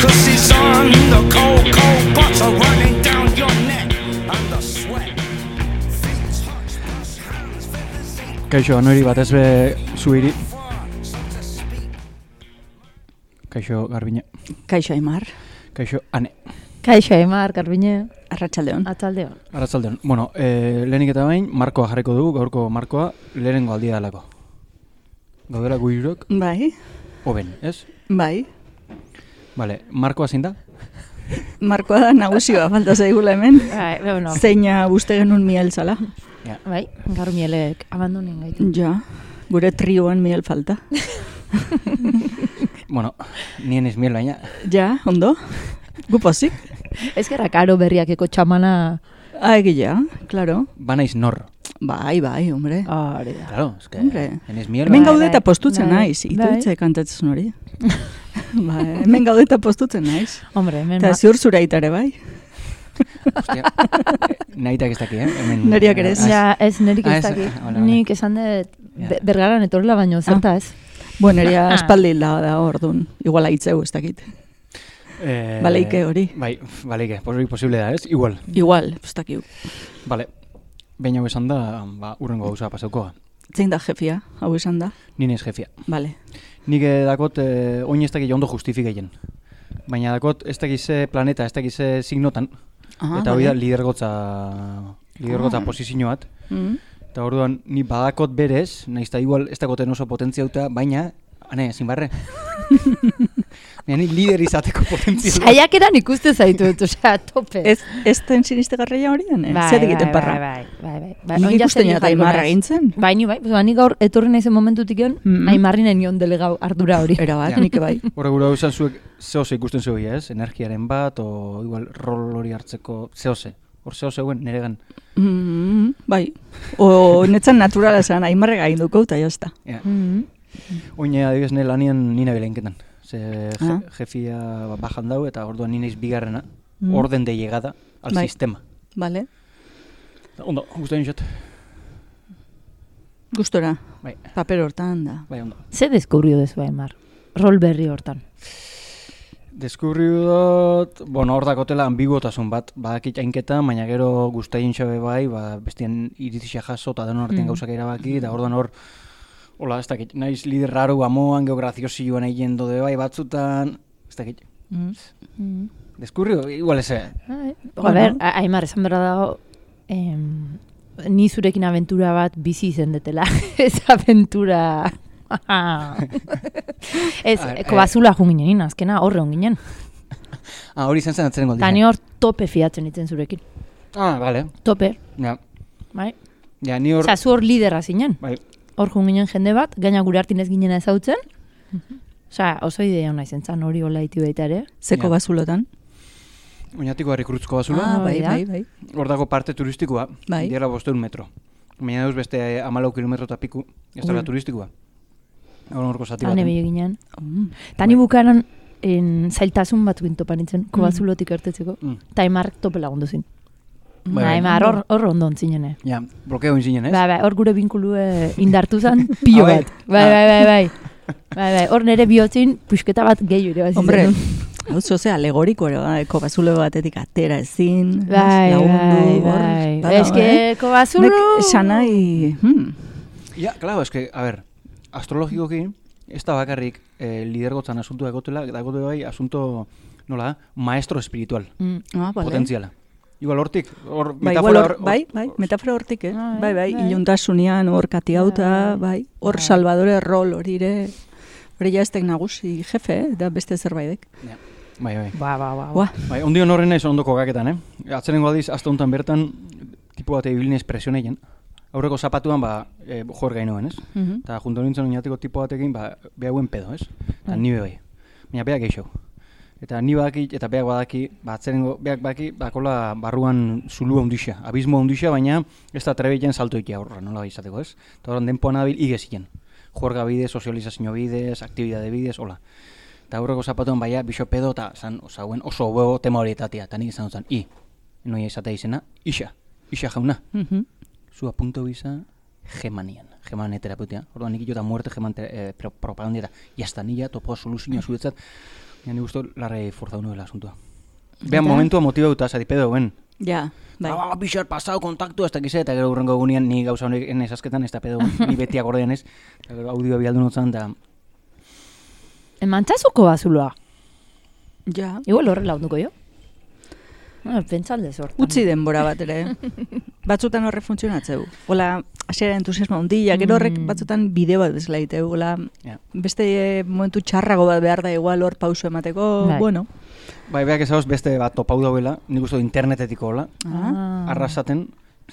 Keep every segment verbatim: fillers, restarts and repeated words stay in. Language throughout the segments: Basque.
Ecstasy on the cold, cold butter running down your neck under sweat. Kaixo, nori batez be zuiri. Kaixo, Garbine. Kaixo, Aimar. Kaixo, Ane. Kaixo, Aimar, Garbine. Arratsaldeon. Atzaldeon. Arratsaldeon. Bueno, eh, lehenik eta bain, markoa jarriko dugu, gaurko markoa, lehenengo aldia dalako. Gaudela guirok, Bai, hoben, ez? bai. Vale, markoa zein da? Markoa da nagusioa, falta zaigula hemen. Bai, bueno. Zeina uste genuen miel zala. Ja. Bai, gaur mielek abandonen gaitu. Ja, gure trioan miel falta. Bueno, nien ez miel baina. Ja, ondo? Gu pozik? Ez gerra karo berriakeko txamana. Ah, egia, claro. Banaiz nor. Bai, bai, hombre. Hori da. Claro, es que Hombre. enez miel. Hemen bai. gaude eta bai, postutzen bai, naiz, bai. itoitze kantatzen hori. Bai, hemen gaude eta postutzen naiz. Hombre, hemen Eta ma- ziur zura itare, bai. Hostia, nahitak ez daki, eh? Hemen, Neriak ere ez. Ah, Ja, ez nerik Ah, ez ez, daki. ah, vale, vale. Nik esan dut Ja. be- bergaran etorrela baino, zerta ez? Bueno, eria espaldi da, da orduan. Igual aitzeu ez dakit. Eh, Baleike hori. Bai, baleike, hori posible da, ez? Igual. Igual, ez dakiu. Vale. Behin hau esan da, ba, urrengo gauza pasauko. Zein da jefia, hau esan da? Nien ez jefia. Vale. Nik eh, dakot, eh, oin ez dakit ondo justifikeien. Baina dakot, ez dakit ze planeta, ez dakit ze signotan. Ah, eta hori da vale. lidergotza, lidergotza Ah. posizio bat. Mm. Eta orduan, ni badakot berez, nahiz eta igual ez dagoten oso potentzia duta, baina, ane, ezin barre. Baina ni lider izateko potentzia dut. Saiakeran ikuste zaitut, osea, tope. Ez, ez den sinistegarria hori den, eh? Bai, Zer egiten bai, parra? Bai, bai, bai. bai. Nik Oin ja ikusten zer jata jarriko Aimarra naiz. gintzen. Bai, ni bai, ba, ni gaur etorri naizen momentutik egon, Mhm. Aimarrinen nion delegau ardura hori. Era bat, Ja. nik bai. Horra gura esan zuek zehose ikusten zeu, ez? Energiaren bat, o igual rol hori hartzeko zehose. Hor zehose guen, niregan. Mm, bai. O netzan naturala esan, Aimarre gainduko eta jazta. Ja. Mhm. Oine adibidez ne lanian nina belenketan. Ze je, Ah. jefia bajan dau eta orduan ni naiz bigarrena. Mm. Orden de llegada al Bai. sistema. Vale. Ondo, gustatzen jat. Gustora. Bai, Paper hortan da. bai ondo. Ze deskubrio dezu Aimar? Rol berri hortan. Deskubriu dut, bueno, hor dakotela ambiguotasun bat, badakit hainketa, baina gero gustaien xabe bai, ba, bestien iritzia jaso eta denon artean Mm. gauzak erabaki, eta orduan hor, hola, ez dakit, naiz lider raro amoan, geograziosioan egin dode bai batzutan, ez dakit. Mm. Deskubriu, igual ez, eh? Bai. Bueno. A ber, A- Aimar, esan berra dago, em, ni zurekin aventura bat bizi izen detela. Ez aventura... Ez, A ver, kobazula jun ginen, azkena horre hon ginen. Ah, hori izan zen atzeren Eta ni hor tope fiatzen itzen zurekin. Ah, vale, Tope, ja. bai? Ja, ni hor, Osea, zu hor liderra zinen. bai, Hor jun ginen jende bat, gaina gure hartin ez ginen ezautzen. Osea, oso idea hona izen zan hori hola iti baita ere. Zeko Ja. bazulotan. oinatiko harrikrutzko bazula, Ah, bai, hori da. bai, bai. hor dago parte turistikoa, Bai. diela bosteun metro. Baina dauz beste amalau kilometro eta piku, ez dela Ui. turistikoa. Hor horko zati Hane baten. bilo ginen. Mm. Eta ni bukaran en, zailtasun bat topan nintzen, kobazulotik ertetzeko. Mm. Eta Aimarrek tope lagundu zin. Bai, bai. Aimar hor, hor ondo ontzinen. Ja, blokeo inzinen, ez? Bai, bai, hor gure binkulue indartu zen, pilo Ah, bai. bat. Bai, bai, bai, bai. Bai, bai, hor nire bihotzin pusketa bat gehiu ere bazizan. Hombre, hau zoze alegoriko ere, bai, kobazulo batetik atera ezin, Bai, lagundu, bai, hor, bai. bada, Ez que, eh? kobazulo... Nek sanai, hmm, Ja, claro, es que, a ver, astrologikoki, ez da bakarrik eh, lidergotzan asunto dagotela, dagote bai asunto, nola, maestro espiritual, Mm. ah, vale. potentziala. Igual hortik, hor Bai, igual metafora hor, hor- bai, bai, metafora hortik, eh? Bai, Bai, bai, bai. iluntasunean hor katiauta, bai, hor Bai. Salvadore rol hori ere, hori jaztek nagusi jefe, eh? Da beste zerbaidek. Ja. Bai, bai. Ba, ba, ba. Ua, Bai, ondion horren naiz ondoko gaketan, eh? Atzerengo aldiz, azte honetan bertan, tipo bat ebilinez presioneien. Aurreko zapatuan, ba, e, jor gainoen, ez? mhm. Eta junto nintzen oinateko tipo batekin, ba, behauen pedo, ez? Eta Bai. ni bai. Baina beak eixo. Eta ni badaki, eta beak badaki, ba, atzerengo, beak badaki, bakola barruan zulua hundixa, abismo hundixa, baina ez da trebeitzen salto ikia horra, nola izateko, ez? Eta horren denpoan abil igezien. Juerga bidez, sozializazio bidez, aktibidade bidez, hola. Eta aurreko zapatuan baia, biso pedo, eta zan, osauen oso huevo tema horietatia, eta nik izan dut, i, noia izatea izena, isa, isa jauna. Mhm. Zu apunto bisa Gemanian, Gemanen terapeutia. Orduan nik jota muerte Geman eh, pro, propaganda eta jazta nila topo soluzioa zuretzat. Ja, ni gusto larrei forzau nuela asuntua. Behan momentua motibauta, zati pedo, ben. Ja, bai. Ah, pixar pasau kontaktu, ez dakize, eta gero urrengo egunean ni gauza honek esazketan, ez da pedo, ni beti akordean ez, eta gero audioa bialdu notzan, eta... Emantzazuko bazuloa. Ja. Igual horrela onduko jo. Ah, pentsalde sortan. Utzi denbora bat ere. Batzutan horre funtzionatzeu. Ola, hasiera entusiasmo handia, gero horrek batzutan bideo bat bezala egiteu. Ola, Ja. beste eh, momentu txarrago bat behar da igual hor pauso emateko, Bai. bueno. Bai, beak ezagoz beste bat topau dauela, nik uste internetetiko hola, Ah. arrasaten,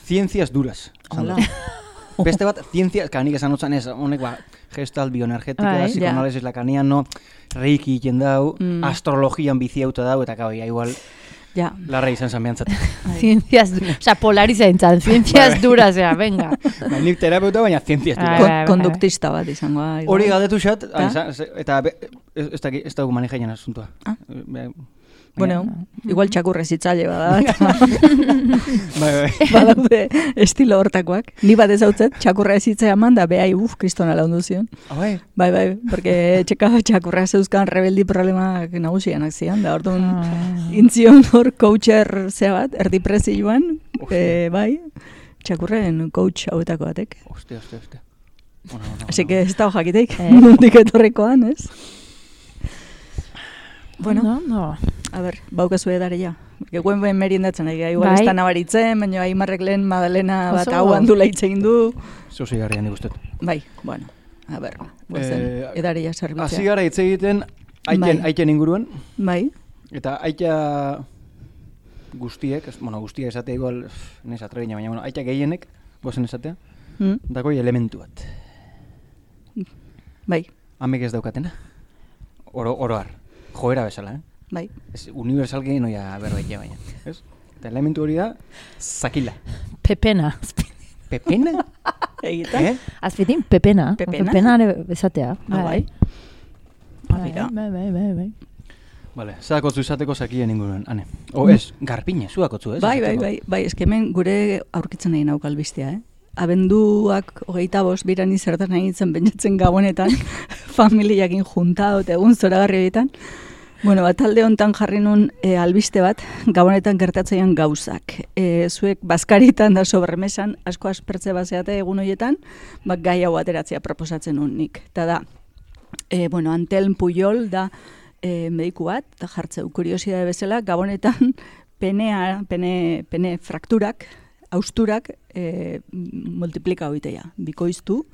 ciencias duras. esan Hola. dut. Beste bat, ciencias, ka nik esan otzan ez, honek ba, gestal, bioenergetika, Bai, psikoanalisis lakaniano, reiki egiten dau, Mm. astrologian biziauta dau, eta kau, ja, igual, Ja. larra izan zan behantzat. Ciencias, o sea, polariza entzan, ciencias duras, ea, venga. Ba, nik terapeuta, baina ciencias Bai, duras. Kon- bai, bai. konduktista bat izango da. igual. Hori galdetu xat, Ta? eta be- ez, ez, daki- ez dugu manejaian asuntua. Ah. Be- Bueno, igual txakurrez itzaile bada. Bai, bai. Badaude estilo hortakoak. Ni bat ezautzet, txakurra ezitzea eman da, behai, uf, kristona laundu zion. Ah, bai. Bai, bai, porque txeka txakurra zeuzkan rebeldi problemak nagusianak zian, da orduan Ah. intzion hor coacher zea bat, erdi prezioan, Ostia. e, bai, txakurren coach hauetako batek. Ostia, ostia, ostia. Bueno, bueno, Así bueno. que ez da jakiteik, Eh. nondik etorrekoan, ez? Bueno, no, no. a ber, baukazu edaria. Porque guen ben meriendatzen, egia, igual Bai. ez da nabaritzen, baina Aimarrek lehen Madalena bat Oso. hau handula itzein du. Zozi garrian nik ustet. Bai, bueno, a ber, guazen, Eh, edaria Hasi zerbitzea. gara hitz egiten aiten, Bai. aiten inguruan, Bai, eta aita guztiek, ez- bueno, guztiek esatea igual, pff, nez atrebina, baina, bueno, aita gehienek, gozen esatea, mm? dakoi elementu bat. bai, Amek ez daukatena. Oro, oroar. Joera bezala, eh? bai. Ez universal gehi noia berbaite baina, ez? Eta elementu hori da, zakila. Pepena. Pepena? Egiten? Eh? Azpitin, pepena. Pepena? Pepena ere bezatea. Ah, bai. Bai, Mira. bai, bai, bai, bai. Vale, zadakotzu izateko zakien inguruen, ane. O ez, garpine, zuakotzu, ez? Bai, bai, esateko. bai, bai, eske hemen gure aurkitzen nahi nauk albistea, eh? Abenduak hogeita bost, birani zertan nahi nintzen pentsatzen gabonetan, familiakin juntado eta egun zoragarri horietan. Bueno, bat talde hontan jarri nun e, albiste bat, gabonetan gertatzeian gauzak. E, zuek bazkaritan da sobremesan, asko aspertze bazeate egun horietan, ba, gai hau ateratzea proposatzen nun nik. Eta da, e, bueno, Antelm Puyol da e, mediku bat, eta jartzeu kuriosidade bezala, gabonetan penea, pene, pene frakturak, austurak e, multiplika hoitea, bikoiztu.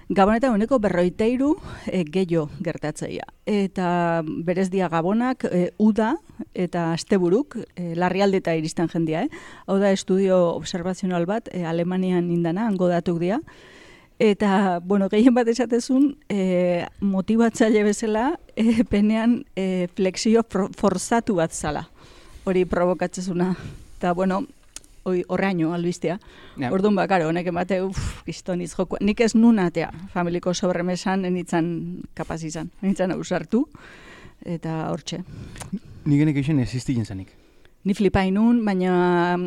Gabonetan uneko berroiteiru e, gehiago gertatzeia. Eta berez dia gabonak e, uda eta asteburuk e, larrialdeta iristen jendia. Eh? Hau da estudio observazional bat e, Alemanian indana, hango datuk dia. Eta, bueno, gehien bat esatezun, e, motibatzaile bezala e, penean e, flexio for, forzatu bat zala. Hori provokatzezuna. Eta, bueno, hoi horreaino albistea. Ja. Orduan ba, karo, honek emate, uff, kistoniz joko. Nik ez nun atea, familiko sobremesan, enitzan kapaz izan, enitzan ausartu, eta hortxe. Nik genek eixen existitzen zanik. Ni flipain nun, baina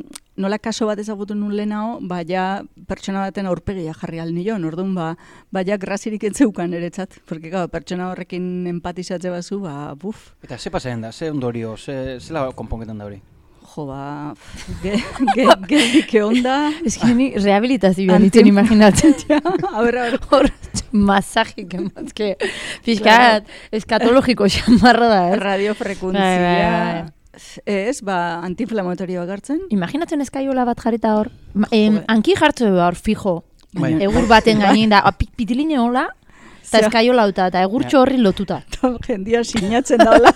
nola kaso bat ezagutu nun lehenao, ba, ja pertsona baten aurpegia jarri alnion, orduan, ba, ba, ja grazirik entzeukan eretzat, porque, gau, pertsona horrekin empatizatze bazu, ba, buf, Eta ze pasaren da, ze ondorio, ze, zela konponketan da hori? jo, ba, ge, ge, geldike onda, Ez que ni rehabilitazioan Antim- ditzen imaginatzen. a ber, a ber, Hor, masajik emazke. Fiskat, eskatologiko xamarra da, ez? radiofrekuntzia, Bai, bai, bai. ez, ba, antiinflamatorioa gartzen, Imaginatzen eskaiola bat jarrita hor. Ma- Em, Joder. anki jartze hor, fijo. Bai. Egur baten gainin da, a, pi- pitiline hola, eta Zea. eskaiola uta, eta egurtxo horri lotuta. eta jendia sinatzen daula.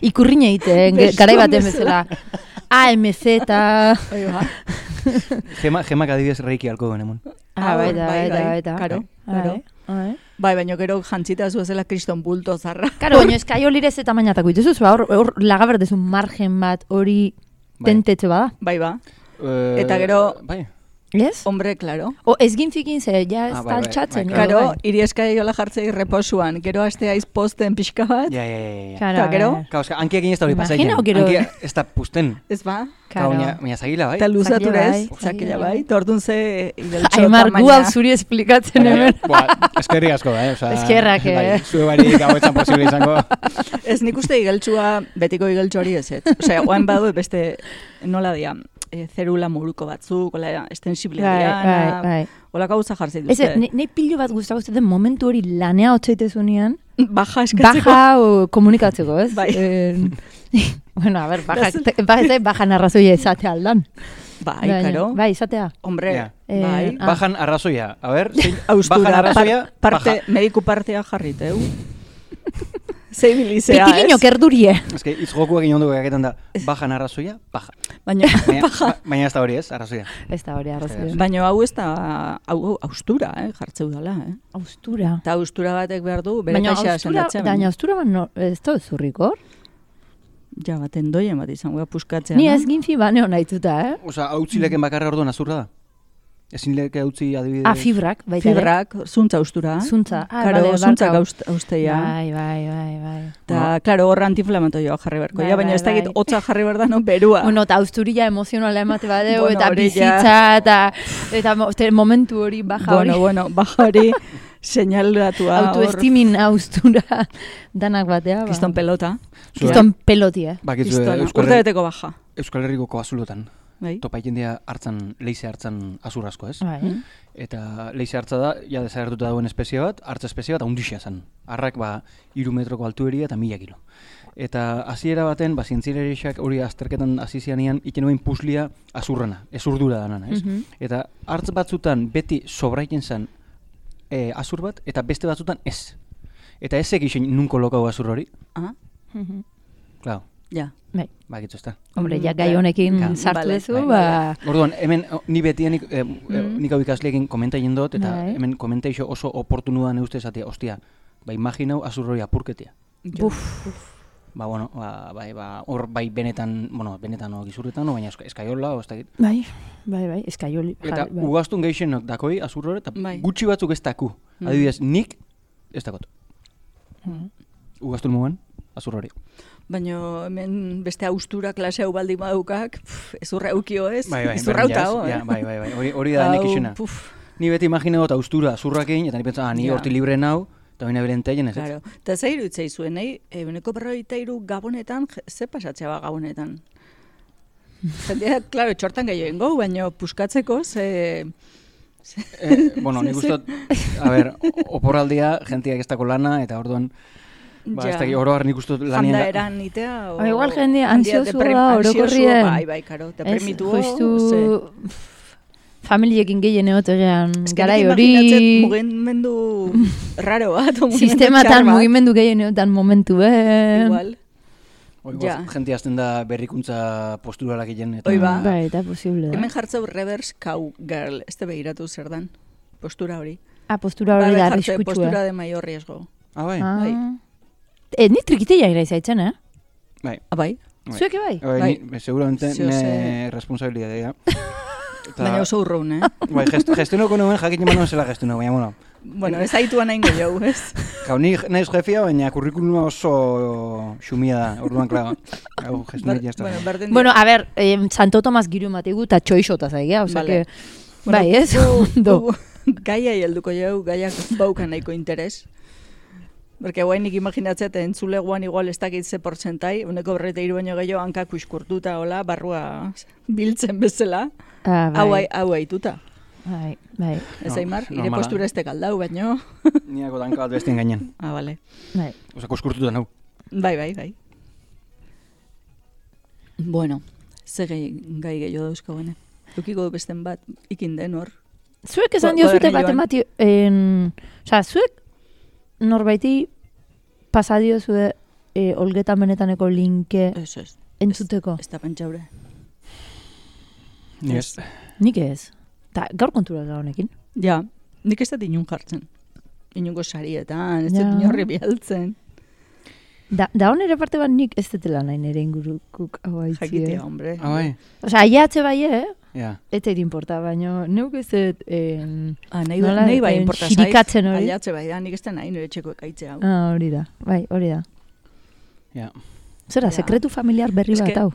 Ikurrine egiten, ge- Besuan garai baten bezala. bezala. A M Z. Bai, ba. Gema, gemak adibidez reiki alko duen emon. Ah, bai, baita, bai, baita, bai, baita. karo, Bai, karo. bai. Bai, baina gero jantzita zuezela kriston bulto zarra. Karo, baina eskaiolirez eta mainatako ituzu, zua, hor, hor lagaberdezun margen bat hori Bai. tentetxe bada. Bai, ba. Eh, Eta gero- Bai, Ez? Hombre, claro. O ez ginfikin ze, ja ez Ah, bai, bai, taltxatzen. bai, Karo, Claro. irieskai jola jartzei reposuan, gero aste aiz posten pixka bat, Ja, ja, ja, ja. Claro, Ta a gero? ver. Claro, eske, ankiakin ez da hori Imagina, pasatzen. gero- Ankia ez da pusten. ez ba? Claro, Claro. baina, baina zagila, bai? Eta luzaturez, Zakila bai, zakila zakila bai, eta orduan ze igeltxo Aimar, gu hau zuri esplikatzen Baina, hemen. Boa, eskerrik asko da, eh? Osa, Eskerrak, eh? Bai, zue barik hau etzan posible izango. Ez nik uste igeltsua, betiko igeltxo hori ez, ez. Osea, oain badu beste, nola dia, e, zerula muruko batzuk, ola, estensible Bai, bai, diana, bai. ola gauza jartzen Ez, duzte. ne, ne pilo bat guztako zuten momentu hori lanea hotzaitezunean, Baja eskatzeko. baja o, komunikatzeko, ez? Bai. Eh, bueno, a ver, baja, Das- te- ba, ez da, baja narrazoia izatea aldan. Bai, Baina, karo. Bai, izatea. Hombre, Ja. Eh, bai. ah. Bajan arrazoia. A ver, zein, Austura, bajan arrazoia, par- parte, baja. mediku partea jarriteu. Zei bilizea, Pitilino ez? kerdurie. Ez que, hitz joku egin onduko gaketan da, bajan arrazoia, baja. Baina, Baina, baja. ba- baina ez da hori ez, arrazoia. Ez da hori arrazoia. Baina hau ez da, hau austura, eh, jartzeu dala, eh. Austura. Eta austura batek behar du, bere Baina kaxa austura, sendatzen. baina austura bat no, ez da zurrikor. Ja, bat endoien bat izango da puskatzea. Ni no? ez ginfi baneo nahituta, eh? Osa, hautzi leken bakarra orduan azurra da? Ezin leke hautzi adibidez? Ah, fibrak, baita ere. Fibrak, zuntza austura. Zuntza. Ah, Karo, bale, zuntza barkau. austeia. Bai, bai, bai, bai. Eta, klaro, horra antiinflamatoioa jarri beharko. Bai, Ja, baina bai, ez dakit bai. hotza jarri behar da, no, berua. Bueno, eta austurilla emozionala emate badeu, Bueno, eta hori ja. bizitza, eta, eta mo- te- momentu hori, baja hori. bueno, bueno, baja hori seinalatua hor, Autoestimin austura danak batea. Ba. kiston pelota. Zure- Kiston peloti, eh? Bakitzu, Kistona, Euskal, urte Herri- beteko baja. Euskal Herriko koazulotan. Bai. Topa jendia hartzan, leize hartzan azur asko, ez? Bai. Mm. Eta leize hartza da, ja desagertuta dagoen espezie bat, hartza espezie bat, haundixia zen. Arrak, ba, iru metroko altueria eta mila kilo. Eta hasiera baten, ba, zientzilariak hori azterketan hasi zianean, iken nuen puslia azurrana, ezurdura danana, ez? Mhm. Eta hartz batzutan beti sobraiten zen e, azur bat, eta beste batzutan ez. Eta ez egin nun kolokau azur hori, Ah, Mhm. klaro, ja. Bai. bakitzu ez da. Hombre, Mm, ja gai ja. honekin Ja. sartu Vale, duzu, bai, ba... Orduan, hemen o, ni beti nik, eh, Mm. nik hau ikasleekin komenta egin dut, eta Bai. hemen komentaixo oso oportunu da neuste esatea, ostia, ba imaginau azur hori apurketea. Buf. Ba, bueno, ba, bai, ba, hor bai benetan, bueno, benetan o gizurretan, o baina eska- eskaiola, o ez dakit. Bai, bai, bai, eskaioli. Eta bai. ugaztun gehixenok dakoi azur hori, eta Bai. gutxi batzuk ez daku. Mm. Adibidez, nik ez dakot. Mhm. Ugaztun mugan, azur hori. Baina hemen beste austura klase hau baldin badukak, pff, ezurra eukio ez? Bai, bai, ezurra berdin hau, jaz, eh? ja, bai, bai, bai, hori, hori da nik Hau, isena. puf, Ni beti imagina dut austura azurrakin, eta ni pentsa, ah, ni Ja. horti libre nau, eta baina beren teien ez. ez? Claro. Eta ze iruditzei zuen, nahi, eguneko berrogeita hiru gabonetan, je- ze pasatzea ba gabonetan? Jendea, klaro, txortan gehiago ingo, baina puskatzeko, ze... Eh, bueno, nik Ze- uste dut, a ber, oporraldia, jentiak ez dako lana, eta orduan, ba, ez Ja. dakit, oro har nik uste dut Janda lanien... eran itea, o... Ba, igual jendea jendea ansioso deprem- da, ansioso, orokorrien. Bai, bai, karo, deprimitu, Ez, justu familiekin gehien egotean garai nik hori, imaginatzen mugimendu raro bat, o mugimendu sistematan txar bat. mugimendu gehien egotan momentu, eh? Igual, Oi, Ja. Jente azten da berrikuntza posturalak egin. Eta, Hoi ba. Bai, eta posible da. hemen jartzeu reverse cowgirl, ez te behiratu zer dan, postura hori. Ah, postura hori Bai, da jartze postura arriskutsua. de mayor riesgo. Ah, bai. Ah. bai. Eh, ni trikiteia gira izaitzen, eh? Bai. Ah, bai? Bai. Zuek bai? Bai, Bai. ni- seguramente Zio ne ze- responsabilidadea. Eta, Baina oso urrun, eh? Bai, gest, gestionoko nuen jakin eman zela gestiono, baina, bueno. Bueno, ez haitua nahi gehiago, ez? Gau, ni naiz jefia, baina kurrikuluma oso xumia da, orduan, klago. Gau, gestionik jazta. bueno, berdin Bueno, a ver, eh, Santo Tomas giru mategu eta txoixota zaigia, osea Vale. que... Bai, ez? Ondo. Gaia helduko jau, gaiak baukan nahiko interes. Porque guain nik imaginatzea, eta entzuleguan igual ez dakit ze portzentai, uneko berreta iru baino gehiago hankak uskurtuta, hola, barrua biltzen bezala, Ah, hau bai, ai- hau aituta. bai, bai, Ez No, aimar, ire normala. postura ez tekaldau, baino. Niako danka bat bestien gainen. Ah, vale. bai. Osa, kuskurtutan hau. Bai, bai, bai. Bueno, ze gai, gai gehiago dauzkaguene. Dukiko besten bat, ikin den hor. Zuek esan Ko- diozute koadernilloan. batemati... En... Osa, zuek norbaiti pasadio zue e, olgetan benetaneko linke Ez, ez. entzuteko. Ez da pentsaure. Ni ez. Nik ez. Ta, gaur kontura da honekin. Ja, nik ez dut inun jartzen. Inungo sarietan, ez Ja. dut inorri bialtzen. Da, da hon ere parte bat nik ez detela nahi nire ingurukuk hau haitzi, Jakitea, eh? hombre. Ah, bai. Osea, aiatze bai, eh? Ja. Ez zait importa, baina neuk ez dut... Eh, Ah, nahi, nola, nahi bai eh, importa zait. xirikatzen hori. Aiatze bai, da, nik ez da nahi nire txeko ekaitzea. hau. ah, hori da, bai, hori da. Ja. Zera, Ja. sekretu familiar berri Eske- bat, hau?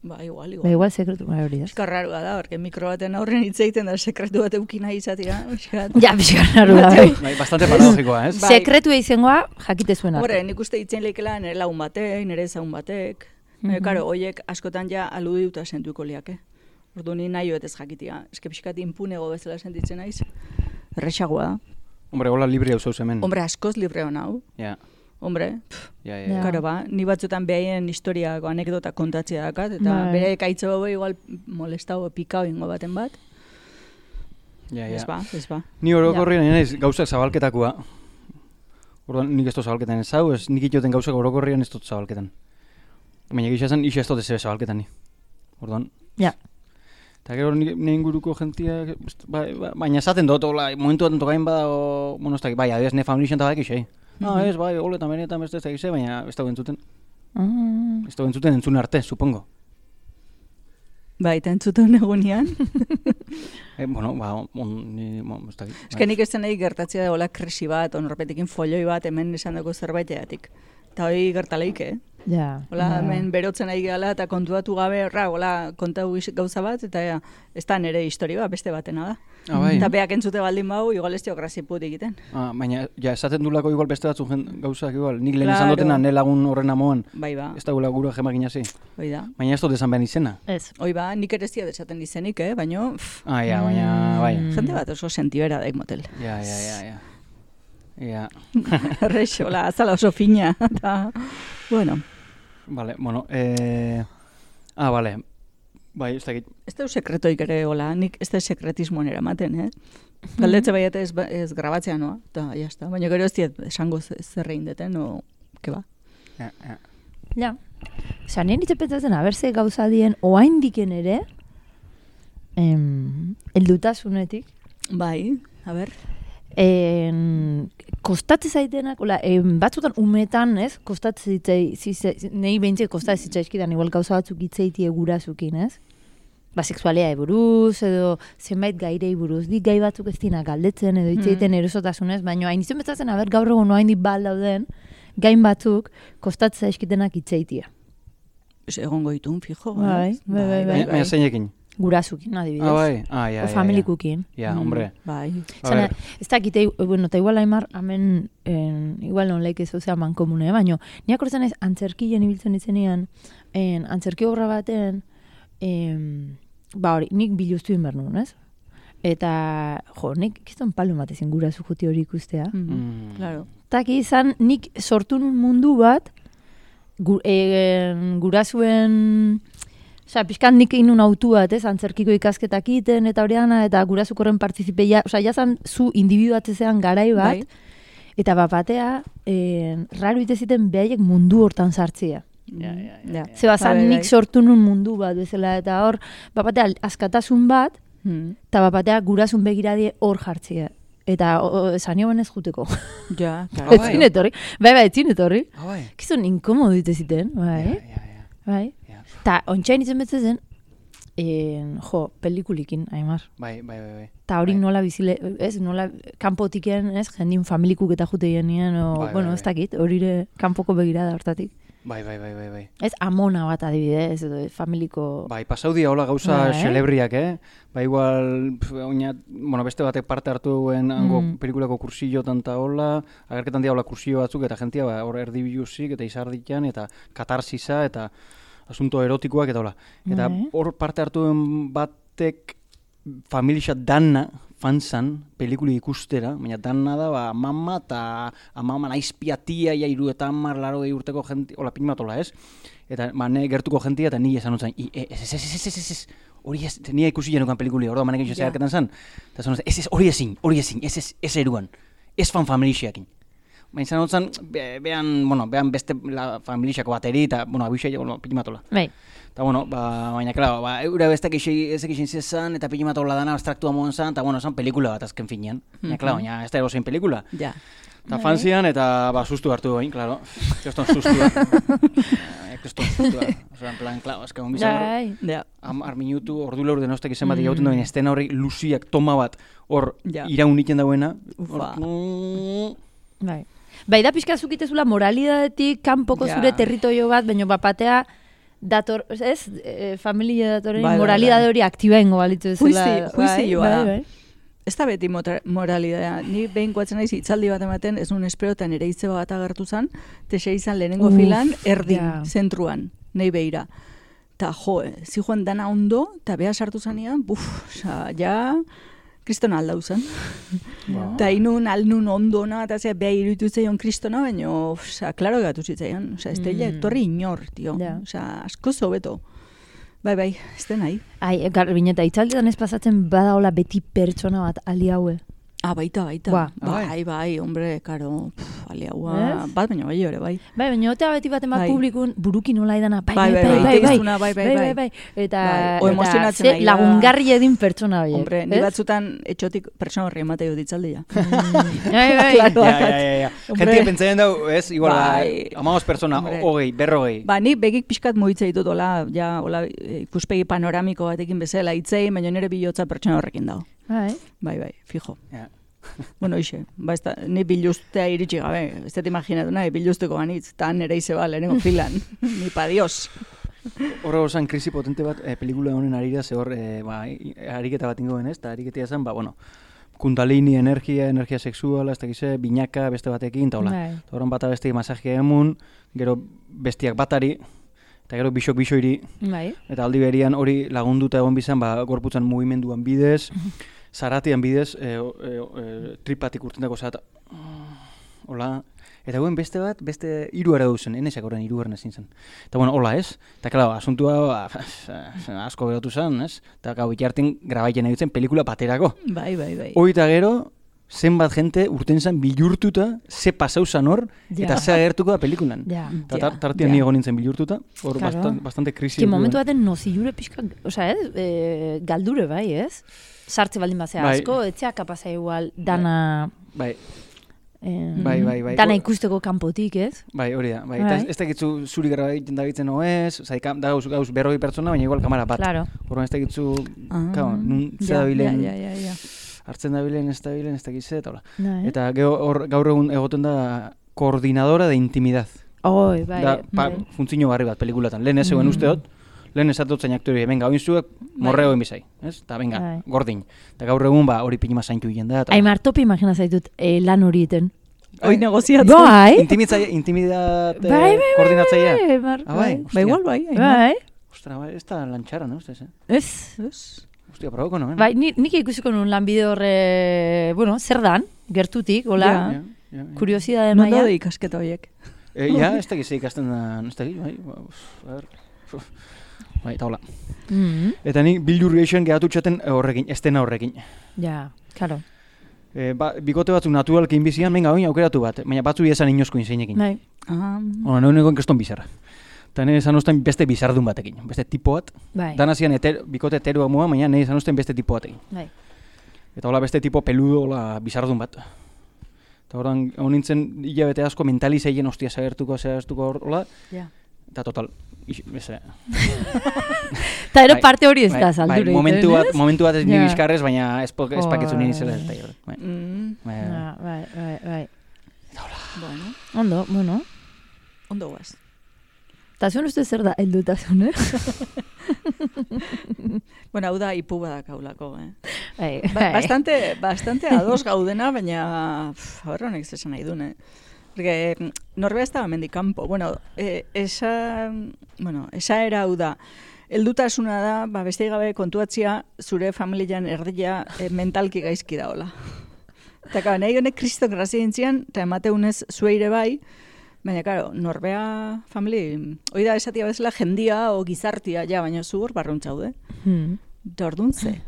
Ba, igual, Ba, igual. igual sekretu, bai, hori da. Eskarrarua da, porque mikro baten aurren hitz egiten da sekretu bat eukin nahi izatea. Pixkat. Ja, pixkan da, bai. Bai, bastante paradogikoa, ez? Bai. Sekretu izangoa jakite zuen arte. Horre, nik uste hitzen leikela nire lagun batek, nire ezagun batek. Baina, Mhm. karo, hoiek askotan ja aludiuta sentuko liake. Ordu ni nahi ez jakitia. Eske pixkat impunego bezala sentitzen naiz. Errexagoa da. Hombre, hola libre hau zauz hemen. Hombre, askoz libre hona hau. Ja, Hombre, pff, ja, ja. Ja. ja. karo ba, ni batzutan behaien historiako anekdota kontatzea dakat, eta Bai. bere ekaitzo hau igual molestau pikau ingo baten bat. Ja, ja. Ez ba, ez ba. Ni orokorrien naiz gauzak zabalketakoa. Orduan nik ez dut zabalketan ez hau, ez nik itoten gauzak orokorrien ez dut zabalketan. Baina gisa zen, isa ez dut ez ebe zabalketan ni. Orduan. Ja. Eta gero nire inguruko jentia, ba, ba, baina esaten dut, hola, momentu baten tokain bada, o, bueno, ez da, bai, adibidez, ne familixen eta badak isei. Ah, ez, bai, holetan benetan beste ez da gise, baina ez da entzuten. Ah. Ez da entzuten entzun arte, supongo. Ba, eta entzuten egunean. Eh, bueno, ba, on, ni, bon, ez da. Ez que nik ez nahi gertatzea da hola krisi bat, onarpetekin folloi bat hemen esan dago zerbaiteatik. Eta hori gertaleik, eh? Ja. Hola, ja. hemen berotzen ari gehala eta kontuatu gabe, ra, hola, kontau is- gauza bat, eta ja, ez da nire historia bat, beste batena da. Ah, bai. Eta beak entzute baldin bau, igual ez dio graziput egiten. Ah, baina, ja, esaten dulako igual beste batzu jen, gauzak igual. Nik lehen Claro. izan dutena, ne lagun horren amoan, Bai ba, ez da gula gura jemakin hasi. hoi da. Baina ez dut esan behar izena. Ez. Hoi ba, nik ere ez diat esaten izenik, eh? Baina, pff, Ah, ja, baina, bai. Mm. jende bat oso sentibera daik motel. Ja, ja, ja, ja. Ja, Errex, hola, azala oso fina. Eta, bueno, vale, bueno, eh... Ah, vale. Bai, ez dakit. ez da sekretoik ere, hola, nik ez da sekretismoan eramaten, eh? Galdetze baiat ez, ba- ez grabatzea noa, eta jazta. Baina gero ez diet esango ze- zer egin deten, o, ke ba. Ja, ja. Ja. Osa, nien hitz pentsatzen, aberze gauza dien, oaindiken ere, em, eldutasunetik, Bai, a ber. en, kostatze zaitenak, ola, em, batzutan umetan, ez, kostatze zitzai, zitzai, nahi behintzat kostatze zitzaizkidan, igual gauza batzuk hitzeitie gurazukin, ez? Ba, sexualea buruz, edo zenbait gairei buruz, dik gai batzuk ez dina galdetzen, edo hitzeiten mm. erosotasunez, baina hain izan betzatzen, aber gaur egun oain dik bal dauden, gain batzuk kostatze zaizkitenak hitzeitia. Ez egongo ditun, fijo. Bai, ez? bai, bai, Baina, baina zeinekin. Gurazukin, adibidez. Ah, bai. Ah, ja, O ja, familikukin. Ja, Mm, hombre. Bai. A Zena, ver. ez dakite, bueno, eta igual aimar, hemen, en, igual non leik ez zuzea mankomune, baina, niak horretzen ez, antzerkien ibiltzen izenian, en, antzerki obra baten, em, ba hori, nik biluztu inber nuen, ez? Eta, jo, nik kiston palo matezin gurazu juti hori ikustea. Mm. Mm. Claro. Taki izan, nik sortu nun mundu bat, gu, e, gurazuen... Osea, pixkan nik inun autu bat, ez, antzerkiko ikasketak iten, eta horiana, eta gurazukorren partizipeia, osea, jazan zu individuatzean garai bat, Bai. eta bapatea, eh, raro iteziten behaiek mundu hortan sartzia. Ja, ja, ja, ja. Zeba, zan Bai, bai, nik bai. sortu nun mundu bat bezala, eta hor, bapatea askatasun bat, Mm. eta bapatea gurasun begiradie hor jartzia. Eta o- o, esan nioen ez juteko. Ja, Ah, claro. bai. Etzin etorri. Bai, bai, etzin etorri. Ah, bai. Kizun inkomodo diteziten, bai. Ja, ja, ja. Bai. Ja. Ta, ontsain itzen betzezen, en, jo, pelikulikin, aimar. Bai, bai, bai, bai. Ta hori Bai. nola bizile, ez, nola kanpotiken, ez, jendin familikuk eta jute genien, o, Bai, bai, bueno, bai. ez dakit, horire kanpoko begirada hortatik. Bai, bai, bai, bai, bai. Ez, amona bat adibidez, edo familiko... Bai, pasau dia hola gauza Bai. xelebriak, eh? Ba, igual, pf, oina, bueno, beste batek parte hartu duen hango Mm. pelikulako kursillotan ta hola, agerketan dia hola kursillo batzuk, eta jentia, ba, hor erdibiluzik, eta izarditan, eta katarsisa, eta asunto erotikoak, eta hola. Eta Bai. hor parte hartu duen batek familia danna fanzan pelikuli ikustera, baina danna da, ba, mama eta amama naizpia tia, ja, iru eta hamar laro urteko jenti, hola, pinimatola, ez? Eta, ba, ne gertuko jentia, eta ni esan otzen, ez, ez, ez, ez, ez, ez, ez, hori ez, nia ikusi janukan pelikuli, hori da, manek Ja. zeharketan zan, eta esan otzen, ez, ez, hori ezin, hori ezin, ez, ez, ez eruan, ez fan familiakin. Baina izan otzen, be, behan, bueno, behan beste la familiako bateri, eta, bueno, abixai, bueno, pinimatola. Bai, Eta, bueno, ba, baina, claro, ba, eura bestek ezek izin zezan, eta pinimatola dana abstraktua moan zan, eta, bueno, zan pelikula bat azken finean. Baina, claro, baina ez da erosein pelikula. Ja. Eta fanzian, eta ba, sustu hartu goin, klaro. Keston sustua. Keston sustua. Osa, en plan, klaro, eska honbizan Ja. amar minutu, ordu laur denostek izan bat egauten duen estena horri luziak toma bat hor Ja. iraun iten dauena. Ufa. Bai. Bai, da pixka zukitezula moralidadetik kanpoko Ja. zure territorio bat, baina bapatea dator, ez, e, familia datoren Bai, bai, moralidade bai. hori aktiba ingo balitu ezula. Juizi- juizioa da. Bai, bai. Ez da beti mota- moralidadea. Ni behin koatzen naiz hitzaldi bat ematen, ez nun esperotan ere hitze bat agertu zen, texe izan lehenengo Uf, filan, erdin, ja. zentruan, nei beira. Ta jo, eh, zijoan dana ondo, eta beha sartu zanean, buf, oza, ja, kristona aldau zen. Eta inun, alnun ondona, eta zea, beha iruditu zeion kristona, baina, oza, klaro gatu zitzaion. Oza, ez teila, Mm. etorri inor, tio. Ja. Oza, asko zobeto. Bai, bai, ez den nahi. Ai, garbineta, itzaldetan ez pasatzen badaola beti pertsona bat aliaue. Ah, baita, baita. Ba. Bai, bai, hombre, karo, pff, aliaua, Ez? bat baina bai ore, bai. Bai, baina otea beti baten bat Bai. publikun buruki nola idana, bai, Bai, bai, bai, bai, bai, bai, bai, tegiztuna, bai, bai, bai. bai, eta, Bai, o eta emozionatzen ze nahi da. lagungarri edin pertsona horiek. Hombre, ni ez? batzutan etxotik pertsona horri emateo ditzaldia. Bai, bai. Claro. Ja, ja, ja, ja. Hombre. Gentia pentsatzen dau, ez, igual, Bai. amagos pertsona, Hombre. hogei, berrogei. Ba, ni begik pixkat mugitza ditut, hola, ja, hola, eh, ikuspegi panoramiko batekin bezala itzei, baina nire bilotza pertsona horrekin dago. Bai. Bai, bai, fijo. Ja. Bueno, ixe, ba, ez da, ni biluztea iritsi gabe, ez dut imaginatu nahi, biluzteko banitz, eta nire ize ba, lehenengo filan, ni pa dios. Horra osan krisi potente bat, eh, pelikula honen arira, ze hor, eh, ba, i- ariketa bat ingoen, ez? Eta ariketia zen, ba, bueno, kundalini energia, energia sexuala, ez dakize, binaka beste batekin, eta hola. Bai. Eta horren bata besteik masajia emun, gero bestiak batari, eta gero bisok bisoiri, Bai. eta aldi berian hori lagunduta egon bizan, ba, gorputzan mugimenduan bidez, zaratian bidez, e, e, e, tripatik urtendako zata, hola, eta guen beste bat, beste hiru ara duzen, enezak horren hiru erren ezin zen. Eta bueno, hola ez, eta klaro, asuntua ba, asko geratu zen, ez? Eta gau bitartin grabaiten egitzen pelikula baterako. Bai, bai, bai. Hoi eta gero, zenbat jente urten zen bilurtuta, ze pasau zan hor, Ja. eta ze agertuko da pelikulan. Ja. Eta Ja, tar, tartian ja. ni egon nintzen bilurtuta, hor Claro. bastan, bastante krisi. Que eduki momentu duen. baten nozilure pixka, osea, ez, e, galdure bai, ez? Sartze baldin bazea Bai. asko, etzea kapasa igual dana... Bai, eh, bai, bai, bai. Dana ikusteko kanpotik, ez? bai, hori da. Bai. Bai. Eta ez, ez dakitzu zuri gara egiten da bitzen oez, oza, ikam, da gauz, gauz berroi pertsona, baina igual kamara bat. Claro. Horren ez dakitzu, Ah, kao, nun ze ja, dabilen, Ja, ja, ja, ja. hartzen dabilen, ez dabilen, ez dakitze, eta hola. Bai. Eta geho, hor, gaur egun egoten da koordinadora de intimidad. Oi, bai. da, pa, bai. funtzio garri bat pelikulatan. Lehen ez zegoen Mm. usteot, lehen esatut zain aktori, venga, oin zuek morreo egin bizai, ez? Eta venga, Bai. gordin. Eta gaur egun, ba, hori pinima zaintu egin da. eta- Aimar topi imagina zaitut eh, lan hori iten. Hoi negoziatzen. Bai. Intimitzaile, intimidate Bai, bai, bai, koordinatzailea. bai, Aimar, Ah, bai. bai. Ba, igual, bai. Aimar. Bai. Ostra, bai, ez da lantxara, no, ustez, eh? Ez. Ez. Ostia, probako, no, eh? Bai, ni, nik ikusiko nun lanbide horre, bueno, zer dan, gertutik, hola, Ja. Ja, ja, ja. kuriosidade Non maila. daude ikasketa horiek? Eh, ja, ez da gizei ikasten da, ez da giz, bai, ba, uf, a ber, uf. Bai, eta hola. Mm, Eta nik bildur gehixen gehatu txaten horrekin, estena horrekin. ja, claro. E, ba, bikote batzuk naturalki inbizian, venga, oin aukeratu bat, baina batzu esan inozko inzeinekin. Bai. Ah, Ona, nahi negoen keston bizarra. Eta nahi esan usten beste bizardun batekin, beste tipo bat. Bai. Dana zian eter, bikote heteroa mua, baina nahi esan usten beste tipo batekin. Bai. Eta hola beste tipo peludo, hola bizardun bat. Eta horan, hon nintzen hilabete asko mentalizeien ostia zagertuko, zagertuko hola, Ja. eta total, ix, beze, Ta ero Bai, parte hori ez bai, da bai, zaldure momentu bat, momentu bat ez ni Ja. bizkarrez, baina ez, po- ez paketzu nire zela ez da. Joder. Bai, mm, bai, Ja, bai, bai, bai. bueno, Ondo, bueno. ondo guaz. Ta zuen uste zer da heldutasun, eh? Bueno, hau da ipu badak haulako, eh? Bai, Ba, bai. bastante, bastante ados gaudena, baina horra honek zesan nahi dune. Porque mm, norbea ez da hemendik kanpo. Bueno, eh, esa, bueno, esa era hau da. Heldutasuna da, ba, beste gabe kontuatzia zure familian erdia eh, mentalki gaizki daola. Eta kaba, nahi honek kriston grazia intzian, eta emateunez zueire bai, baina, karo, norbea famili, hoi da esatia bezala jendia o gizartia, ja, baina zu hor barruntxaude. Hmm. Eta orduan ze.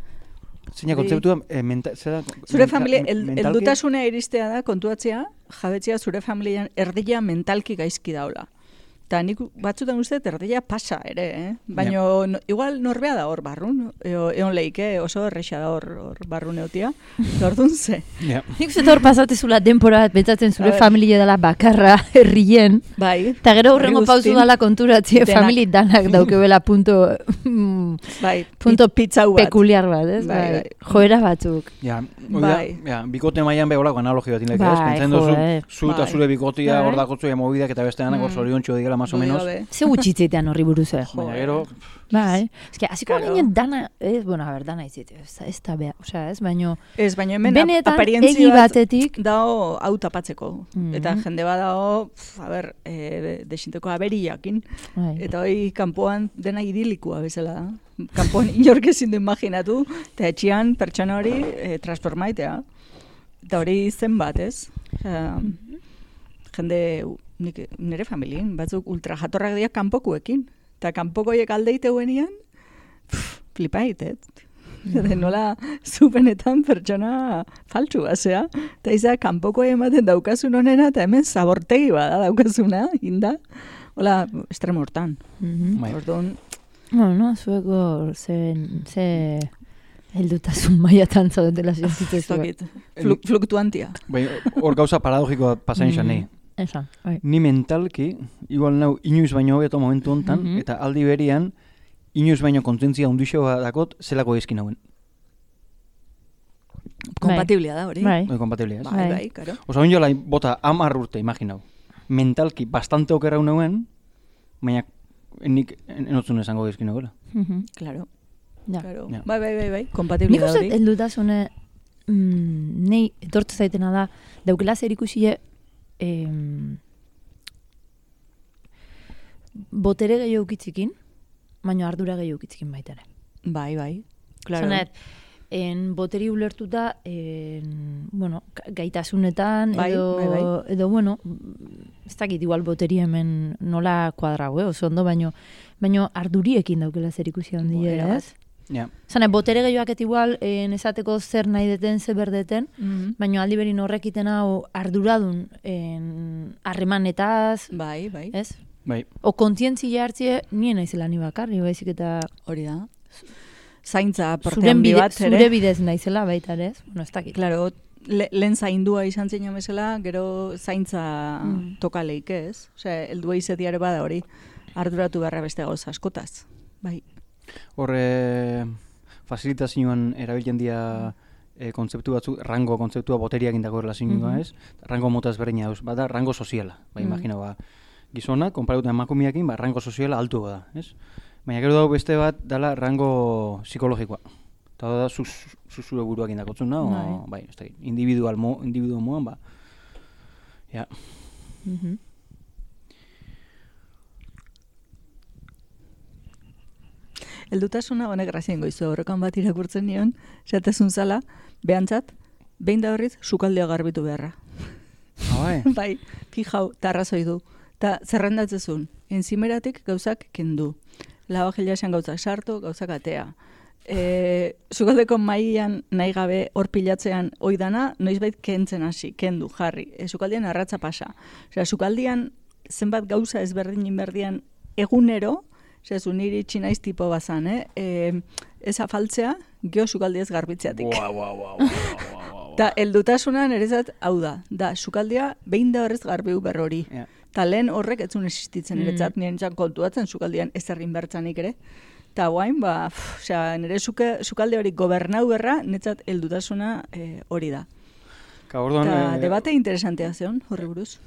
Zeina kontzeptua, eh, menta, zera, Zure menta- familia, men- el, mentalki? heldutasuna iristea da kontuatzea, jabetzea zure familian erdia mentalki gaizki daula. Eta nik batzutan uste erdia pasa ere, eh? Baina no, igual norbea da hor barrun, eo, egon leike oso erresa da hor, hor barrun eotia, ordun ze. Yeah. Nik uste hor pasatezula denpora bat betzatzen zure familie dela bakarra herrien. Bai. Eta gero hurrengo pauzu dala konturatzie denak. famili danak daukebela punto, bai, punto pitzau bat. pekuliar bat, ez? Bai, Bai, bai. joera batzuk. Ja, Bai. ja, bikote mailan beholako analogi bat inlek, Bai, ez? Pentsatzen duzu, joe. zu eta Bai. zure bikotia Bai. hor dakotzu mobidak eta beste danak hor zoriontxo digela, más o menos. Ze gutxitzetean horri buruz, eh? Baina gero, Bai, eske, hasiko Claro. ginen dana, ez, bueno, a ber, dana izite, ez, ez da beha, osea, ez, baino, Ez, baina hemen benetan aparientzia egi bat batetik, dao hau tapatzeko. Mhm. Eta jende bat dao, pf, a ber, e, desinteko aberiakin. bai, Eta hoi kanpoan dena idilikoa bezala da. Kanpoan inork ezin du imaginatu, eta etxean pertsona hori e, transformaitea. Eta hori zenbat, ez? Osea, jende, nik, nire familien, batzuk ultra jatorrak dira kanpokuekin. Eta kanpokoiek aldeiteuenian, flipait, ez? De nola zupenetan pertsona faltsu basea. Eta izan kanpoko ematen daukazun honena, eta hemen zabortegi bada daukazuna, inda. Hola, estremo hortan. mhm. bai. Orduan, Bueno, zueko ze, ze heldutasun maiatan zaudetela ez zientzitzezue. dakit, Flu, fluktuantia. Bai, hor gauza paradogikoa pasain izan nahi. Esan, bai. Ni mentalki, igual nau inoiz baino hobeto momentu hontan, Mhm. eta aldi berian, inoiz baino kontentzia undixo dakot, zelako ezkin hauen. Kompatiblia da hori. Bai. Bai, kompatiblia, ez? Bai, Bai. bai, karo. Osa, oin jola, bota, amar urte, imaginau. Mentalki, bastante okerra uneuen, baina nik enotzun esango ezkin nagoela. Mhm. Claro. Ja. Claro. Ja. Bai, bai, bai, bai, Nik kompatiblia da uste hori. heldutasune mm, nei etortze zaitena da daukela zer ikusie em, botere gehiago ukitzikin, baina ardura gehiago ukitzikin baita ere. Bai, bai. Claro. Zanet, en boteri ulertuta, en, bueno, ga- gaitasunetan, Bai, edo, bai, bai. edo, bueno, ez dakit igual boteri hemen nola kuadrau, eh, oso ondo, baino, baino arduriekin daukela zer ikusi handia, Era ez? Ja, Zanet, botere gehiagoak igual, en, esateko zer nahi deten, zer berdeten, Mhm. baino aldi berin horrekiten hau arduradun en, harremanetaz, Bai, bai. ez? bai. O kontzientzia hartzie, nien naizela ni bakarri, baizik eta Hori da. Zaintza parte zuren handi bide, bat, ere. zure bidez naizela baita ere, ez? Bueno, ez dakit. Claro, le, lehen zaindua izan zeina bezala, gero zaintza Mm. toka leike, ez? Osea, heldua izetiare bada hori, arduratu beharra beste gauza askotaz. Bai. Hor, e, fasilitazioan erabiltzen dira e, kontzeptu batzu, rango kontzeptua boteriak indako relazioa, Mhm. ez? Rango mota ezberdina dauz, bada rango soziala. Bai, Mhm. imagina, ba, gizona, konparatuta emakumeekin, ba, rango soziala altu da, ez? Baina gero dago beste bat, dala rango psikologikoa. Eta da, zu, zu zure buruak indakotzuna, o, Bai. bai, ez da, individual mo, individual moan, ba, ja. Mhm. Heldutasuna honek grazien goizu horrekan bat irakurtzen nion, zatezun zala, behantzat, behin da horriz, sukaldea garbitu beharra. Ah, bai. Bai, fijau, tarrazoi du. Ta zerrendatzezun, enzimeratik gauzak kendu. Lavagila esan gauzak sartu, gauzak atea. E, sukaldeko mailan nahi gabe hor pilatzean oidana, noizbait kentzen hasi, kendu, jarri. E, sukaldian arratza pasa. Osea, sukaldian zenbat gauza ezberdin inberdian egunero, osea, zu niri txinaiz tipo bazan, eh? E, ez afaltzea, geho sukaldiez garbitzeatik. Ua, ua, ua, ua, ua, ua. Ta heldutasuna nerezat hau da, da sukaldia behin da horrez garbiu berrori. Ja. Ta lehen horrek etzun existitzen Mm. niretzat, nirentzat kontuatzen sukaldian ez errin bertzanik ere. Ta guain, ba, pff, osea, nire suke, sukalde hori gobernau berra, netzat heldutasuna eh, hori da. Ka, orduan, Ta eh, debate interesantea zeon, horri buruz.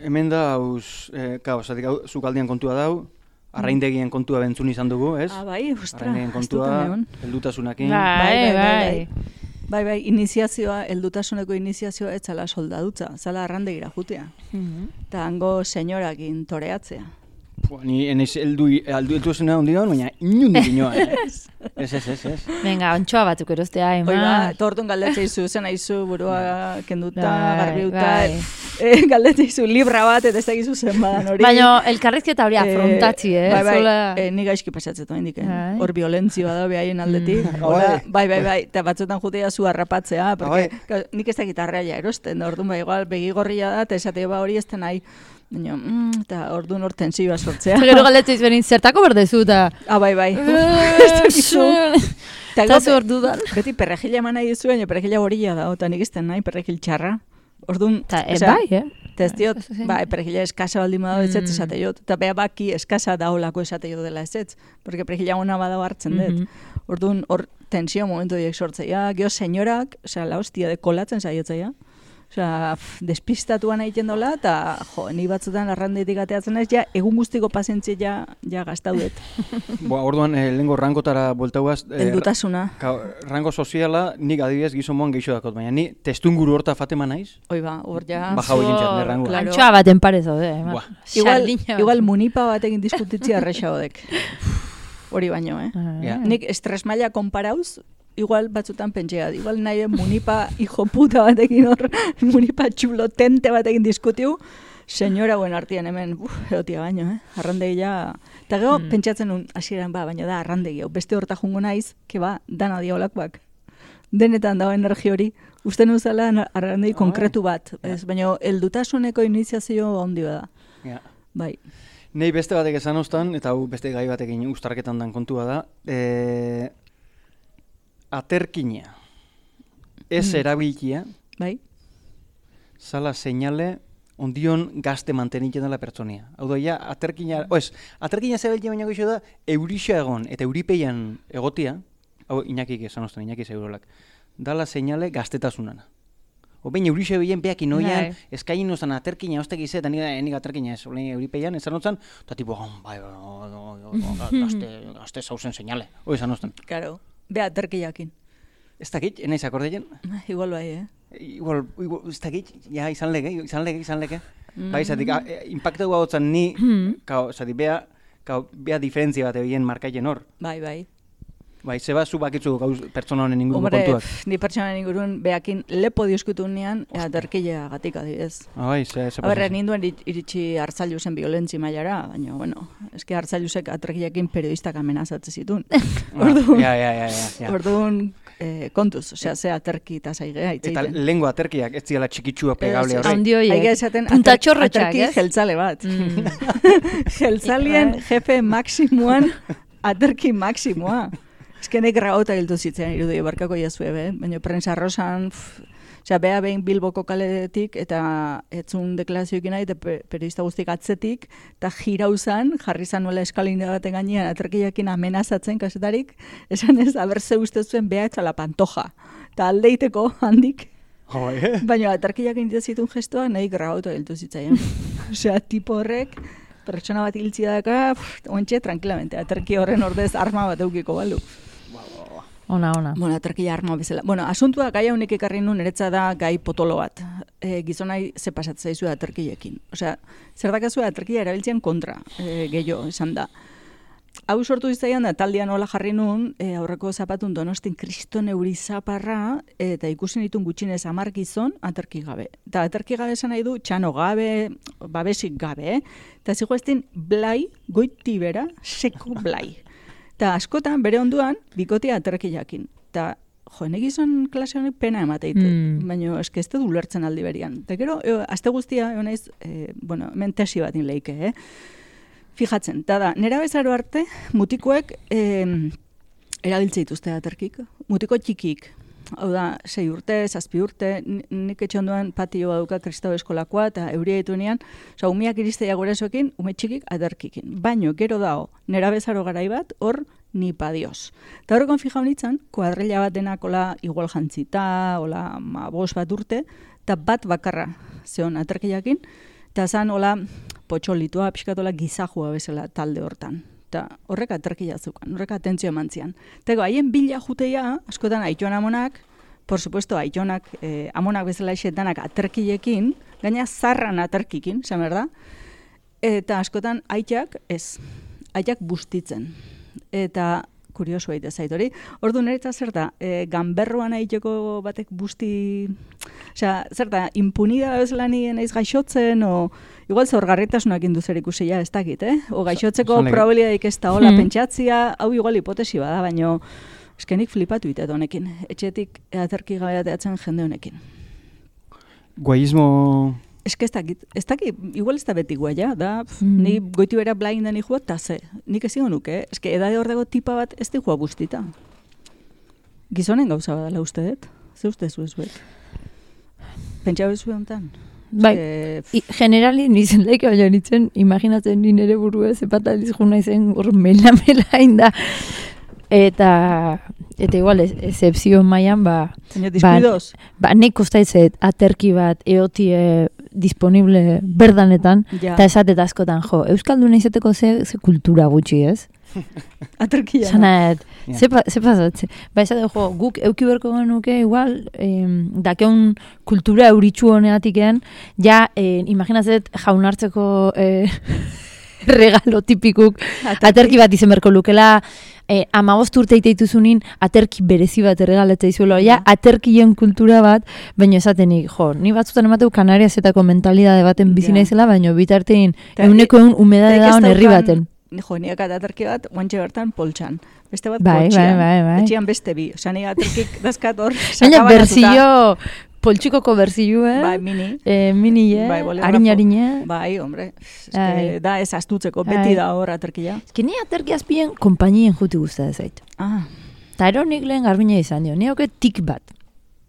hemen da, hauz, eh, ka, osatik, hau, zukaldian kontua dau, arraindegien kontua bentzun izan dugu, ez? Ah, bai, ostra, Arraindegien ez dut kontua, egon. heldutasunakin. Bai, bai, bai, bai. Bai, bai, iniziazioa, heldutasuneko iniziazioa ez zala soldadutza, zala arrandegira jutea. Mhm. Ta hango senyorakin toreatzea. Pua, ni enez heldu, heldu, heldu zena hondi gaun, baina inundik inoa, eh? Ez, ez, ez, ez. Venga, ontsoa batzuk erostea, Hoi ba, ema. eta orduan galdetzeizu, zen aizu, burua kenduta, Bai, garbiuta, bai. eh, galdetzeizu libra bat, eta ez dakizu zen badan hori. Baina elkarrizketa hori afrontatzi, eh? Bai, bai, Zola... eh, ni gaizki pasatzen hendik, eh? Bai. Hor violentzioa da behaien aldetik. Mm. Hola, Bai. bai, bai, bai, eta batzutan jutea zu harrapatzea, porque Bai. ka- nik ez dakit arraia erosten, da orduan, ba, igual, begigorria da, eta esate ba hori ez da nahi. Baina, mm, eta orduan hor tensioa sortzea. Gero galdetzen izbenin, zertako berdezu, eta... Ah, bai, bai. Eta zu ordudan. Beti perrejila eman nahi duzu, baina perrejila gorila da, eta nik izten nahi perrejil txarra. Orduan, Ta, e, bai, eh? Eta ez diot, ba, perrejila eskasa baldin badago ez ez esate jot. Eta beha baki eskasa daolako esate jot dela ez ez. Porque perrejila ona badago hartzen dut. Mhm. Orduan, hor tensio momentu diek sortzeia. Gio senyorak, osea, la hostia de kolatzen saiotzea. Osea, despistatuan egiten dola, eta jo, ni batzutan arrandetik ateatzen ez, ja, egun guztiko pazientzia ja, ja gaztaudet. Boa, orduan, eh, lehenko rangotara bueltauaz... Eh, Heldutasuna. Ka, rango soziala, nik adibidez gizon moan gehiago dakot, baina ni testunguru horta fatema naiz, Hoi ba, hor ja... baja hori entzat, ne rangoa. Claro. Antxoa baten parez haude, eh? Buah. Igual, Sardina igual bat. munipa batekin diskutitzia erresa hodek. Hori baino, eh? Ah, Ja. Nik estres maila konparauz, igual batzutan pentsea, igual nahi munipa hijo puta batekin hor, munipa txulo tente batekin diskutiu, senyora buen artian hemen, uf, egotia baino, eh? Arrandegia... Eta gero, Mm. pentsatzen nun, hasieran ba, baina da arrandegi, hau beste horta jungo naiz, ke ba, dana diolakoak. Denetan dago energi hori, uste nuzala arrandegi Ah, konkretu bat, ez, baina heldutasuneko iniziazio handi da. Ja. Bai. Nei beste batek esan ostan, eta hau beste gai batekin ustarketan dan kontua da, e, aterkina, ez Mm. erabilkia, Bai? zala seinale ondion gazte mantenitzen dela pertsonia. Hau da, ja, aterkina, oez, aterkina zebiltia baina goxo da, eurixa egon, eta euripeian egotia, hau inakik esan ostan, inaki segurolak, dala seinale gaztetasunana. O baina eurixa bilen peak inoian, Bai. eskain nozan aterkina ostek izet, eta nire nik aterkina ez, olein euripeian, esan otzan, eta tipo, oh, bai, oh, oh, oh, gazte, gazte zauzen seinale, hoi esan ostan. Karo, beha aterkiakin. Ez dakit, enaiz akordeien, Igual bai, eh? igual, igual, ez dakit, ja, izan lege, izan lege, izan lege. Mm. Bai, zatik, a- e, impactu gautzen ni, Mhm. kao, zatik, bea, kao, bea diferentzia bat egin markaien hor. Bai, bai. Bai, zeba zu bakitzu gauz pertsona honen inguruko Hombre, kontuak. pff, ni pertsonan ingurun behakin lepo diskutu nian, aterkila gatik adibidez. Ah, bai, ze, ze A ber, pasa. ninduen iri- iritsi hartzailuzen violentzi mailara, baina, bueno, eske hartzailusek aterkilakin periodistak amenazatzen zituen. Orduan, Ja, ja, ja, ja, ja. orduan eh, kontuz, osea, ze aterki eta zaigea Eta itzeiten. lengua aterkiak, ez ziala txikitsua pegable Ez, ez. horrek. Handi horiek. Aiga esaten Punta ater- txorrotxak, aterki ez? jeltzale bat. Mm. Jeltzalien jefe maksimuan aterki maksimoa. Eskenek gragota hiltu zitzen irudi barkako jazue, be? Baina prensa rosan, osea, beha behin Bilboko kaletik eta etzun deklarazioekin nahi, eta pe- periodista guztik atzetik, eta jirauzan, jarri zan nuela eskalina baten gainean, aterkiakin amenazatzen kasetarik, esan ez, aber ze uste zuen beha etxala pantoja. Eta aldeiteko handik, Jo, eh? baina aterkiak egiten zituen gestoa nahi grabauta hiltu zitzaien. Osea, tipo horrek, pertsona bat hiltzi daka, ontxe, tranquilamente, aterki horren ordez arma bat eukiko balu. Ona, ona. Bueno, aterkia arma bezala. Bueno, asuntua gai haunek ekarri nun eretza da gai potolo bat. E, gizonai ze pasatzen zaizu aterkiekin. Osea, zer dakazu aterkia erabiltzen kontra, e, gehiago esan da. Hau sortu izaian da, taldean hola jarri nun, e, aurreko zapatun donostin kriston euri zaparra, eta ikusi nitun gutxinez hamar gizon aterki gabe. Eta aterki gabe esan nahi du, txano gabe, babesik gabe, eh? Eta zigo eztin blai, goiti bera, seko blai. Eta askotan, bere onduan, bikotia aterkiakin. Eta, jo, ene gizon klase honek pena emateite, Mm. baina eske ez dut ulertzen aldi berian. Eta gero, e, aste guztia, egon naiz, e, bueno, hemen tesi bat leike, eh? Fijatzen, eta da, nera bezaro arte, mutikoek eh, erabiltze dituzte aterkik. Mutiko txikik, hau da, sei urte, zazpi urte, ni- nik etxe ondoan patio baduka kristau eskolakoa, eta euria dituenean, oza, umiak iristea gurasoekin, ume txikik aterkikin. Baino, gero dago, nera bezaro garai bat, hor, ni padioz. Eta horrekon fija honitzen, kuadrilla bat denak ola igual jantzita, ola ma, bos bat urte, eta bat bakarra zeon aterkiakin, eta zan hola potxolitua, pixkatola gizajua bezala talde hortan. Eta horrek aterkia zukan, horrek atentzio eman zian. Tego, haien bila juteia, askotan aitona amonak, por supuesto, aitonak, eh, amonak bezala esetanak aterkiekin, gaina zarran aterkikin, esan behar da, eta askotan aitak ez, aitak bustitzen. Eta kurioso baita zait hori. Ordu niretza zer da, e, ganberroan aiteko batek busti, osea, zer da, impunida bezala ni naiz gaixotzen, o igual zaurgarritasunak induzer ikusia ez dakit, eh? O gaixotzeko Zalek- probabilidadik ez da hola Hmm. pentsatzia, hau igual hipotesi bada, baino eskenik flipatu itet honekin. Etxetik aterki gabe ateatzen jende honekin. Guaismo eske ez dakit, ez dakit, igual ez da beti guaia, da, pf, Mm. ni goitu bera blinda ni juat, eta ze, nik ezingo nuke, eh? Eske edade hor dago tipa bat ez di joa guztita. Gizonen gauza badala uste dut, ze uste zu ez bet? Pentsa bezu honetan? Bai, Eske, pf, I, generali nizen laika baina nintzen, imaginatzen ni nere burua ez epataliz juna izen hor mela-mela inda. Eta, eta igual, excepzio mailan, ba... baina deskuidoz. Ba, nek kostaitzet aterki bat eotie disponible berdanetan, Ja. eta esatet askotan, jo, Euskalduna izateko ze, ze kultura gutxi, ez? Aterkia. Zanaet, Ja. ze, pa, ze pasatze. Ba, esate, jo, guk euki berko genuke, igual, em, dakeun kultura euritxu honeatikean, ja, eh, imaginatzet jaunartzeko eh, regalo tipikuk, Aterki. aterki bat izen berko lukela, eh, amabost urte iteituzunin, aterki berezi bat erregalatzea izuelo, ja, aterkien kultura bat, baina esatenik, jo, ni batzutan emateu Kanariasetako mentalidade baten bizi Ja. naizela, baina bitartein, Ta- euneko eun umedade Tek ez daun herri daukan- baten. Jo, niak aterki bat, guantxe bertan poltsan. Beste bat Bai, kotxean. bai, bai, bai. Etxean beste bi. Osea, ni aterkik dazkat hor, Baina sakabanatuta. berzio, poltsikoko berzio, eh? Bai, mini. Eh, mini, eh? Bai, bolígrafo. Harin-harine. Bai, hombre. Eske Ai. da ez astutzeko, Ai. beti da hor aterkia. Eski ni aterki azpien konpainien juti guztatzen zait. Ah, Ta ero nik lehen garbina izan dio, ni hauke tik bat.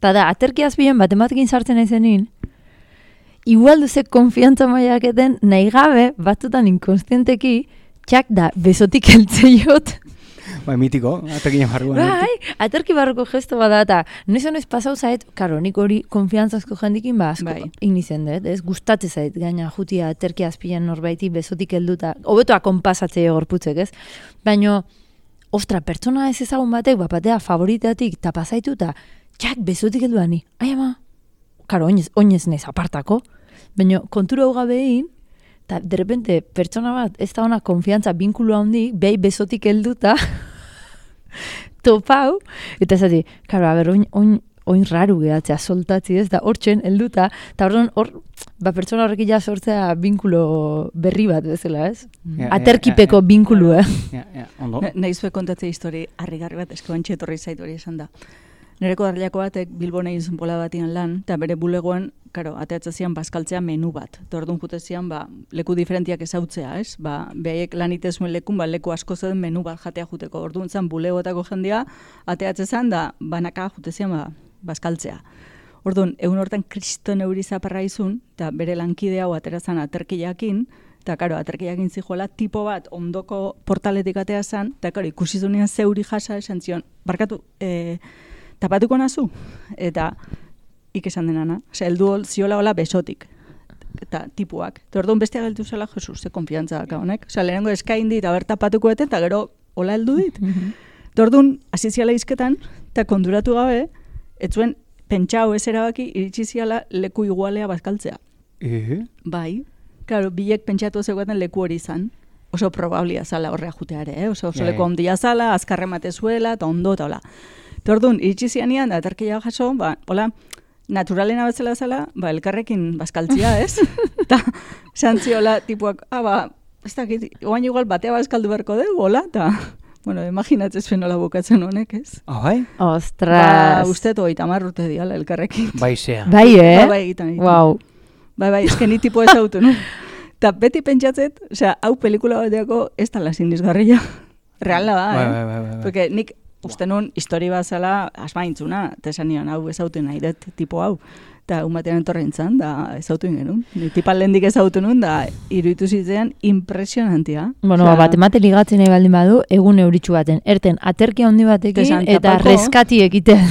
Ta da, aterki azpien bat ematekin sartzen ezenin, igual duzek konfiantza maiak eten, nahi gabe, batzutan inkonstienteki, txak da, besotik eltzeiot. Bai, mitiko, atekin barruan. Bai, aterki barruko gesto bada, eta noiz honez pasau zait, karo, nik hori konfiantzazko jendikin, ba, asko, Bai. inizen dut, ez, gustatze zait, gaina jutia aterki azpian norbaiti besotik helduta, hobetoa konpasatzea gorputzek, ez? Baina, ostra, pertsona ez ezagun batek, bapatea favoritatik tapazaitu eta txak besotik helduani. Ai ama, karo, oinez, oinez nez apartako, baina kontura hau gabein, eta derrepente pertsona bat ez da ona konfiantza binkulu handik, behi besotik helduta, topau, eta ez zati, karo, a ber, oin, oin, oin raru gehatzea, soltatzi ez da, hortzen helduta, eta orduan hor, ba, pertsona horrekin ja sortzea binkulo berri bat bezala, ez? Ja, ja, Aterkipeko ja, ja. binkulu, eh? Ja, ja, ondo. nahi zue kontatzea histori harrigarri bat, eske bantxe etorri zait hori esan da. Nereko darlako batek Bilbon egin zuen bola batian lan, eta bere bulegoan, karo, ateatza zian bazkaltzea menu bat. Eta orduan jute zian, ba, leku diferentiak ezautzea, ez? Ba, behaiek lan itezuen lekun, ba, leku asko zen menu bat jatea juteko. Orduan zan bulegoetako jendia, ateatze zan, da, banaka jute zian, ba, bazkaltzea. Orduan, egun hortan kriston euri zaparra izun, eta bere lankide hau atera zan aterkiakin, eta, karo, aterkiakin zijoela, tipo bat ondoko portaletik atea zan, eta, karo, ikusi zunean zeuri jasa esan zion, barkatu, e, tapatuko nazu? Eta, ik esan denana, osea, heldu ziola hola besotik, eta tipuak. Eta orduan bestia geltu zela, Jesus, ze konfiantza daka honek. Osea, lehenengo eskain dit, aber tapatuko eten, eta gero hola heldu dit. Eta orduan, hasi ziala izketan, eta konduratu gabe, ez zuen pentsau ez erabaki, iritsi ziala leku igualea bazkaltzea. Eh? Bai, claro, bilek pentsatu zeugaten leku hori izan. Oso probablia zala horrea juteare, eh? Oso, oso Ja, leku ja. ondia zala, azkarremate zuela, eta ondo, eta hola. Eta orduan, iritsi zianian, da aterkia jaso, ba, hola, naturalena bezala zela, ba, elkarrekin bazkaltzia, ez? Eta, santziola, tipuak, ah, ba, ez dakit, oain igual batea bazkaldu beharko dugu, hola, eta, bueno, imaginatzen zuen nola bukatzen honek, ez? Ah, bai? Ostras. Ba, uste toi tamar urte diala elkarrekin. Bai, zea. Bai, eh? Ba, bai, egiten, egiten. Wow. Bai, bai, eske ni tipo ezautu, no? Eta beti pentsatzet, osea, hau pelikula bateako ez da lasindizgarria. Reala da, Bai, eh? bai, bai, bai. Porque nik uste nun histori bat zela asmaintzuna, eta esan nion, hau ezautu nahi dut tipo hau. Eta un batean etorren zan, da ezautu genuen. Ni tipan lehendik ezautu nun, da iruditu zitzean impresionantia. Bueno, Osea, ba, bat emate ligatzen nahi baldin badu, egun euritxu baten. Erten, aterki handi batekin Tesan, eta tapauko. reskati egiten.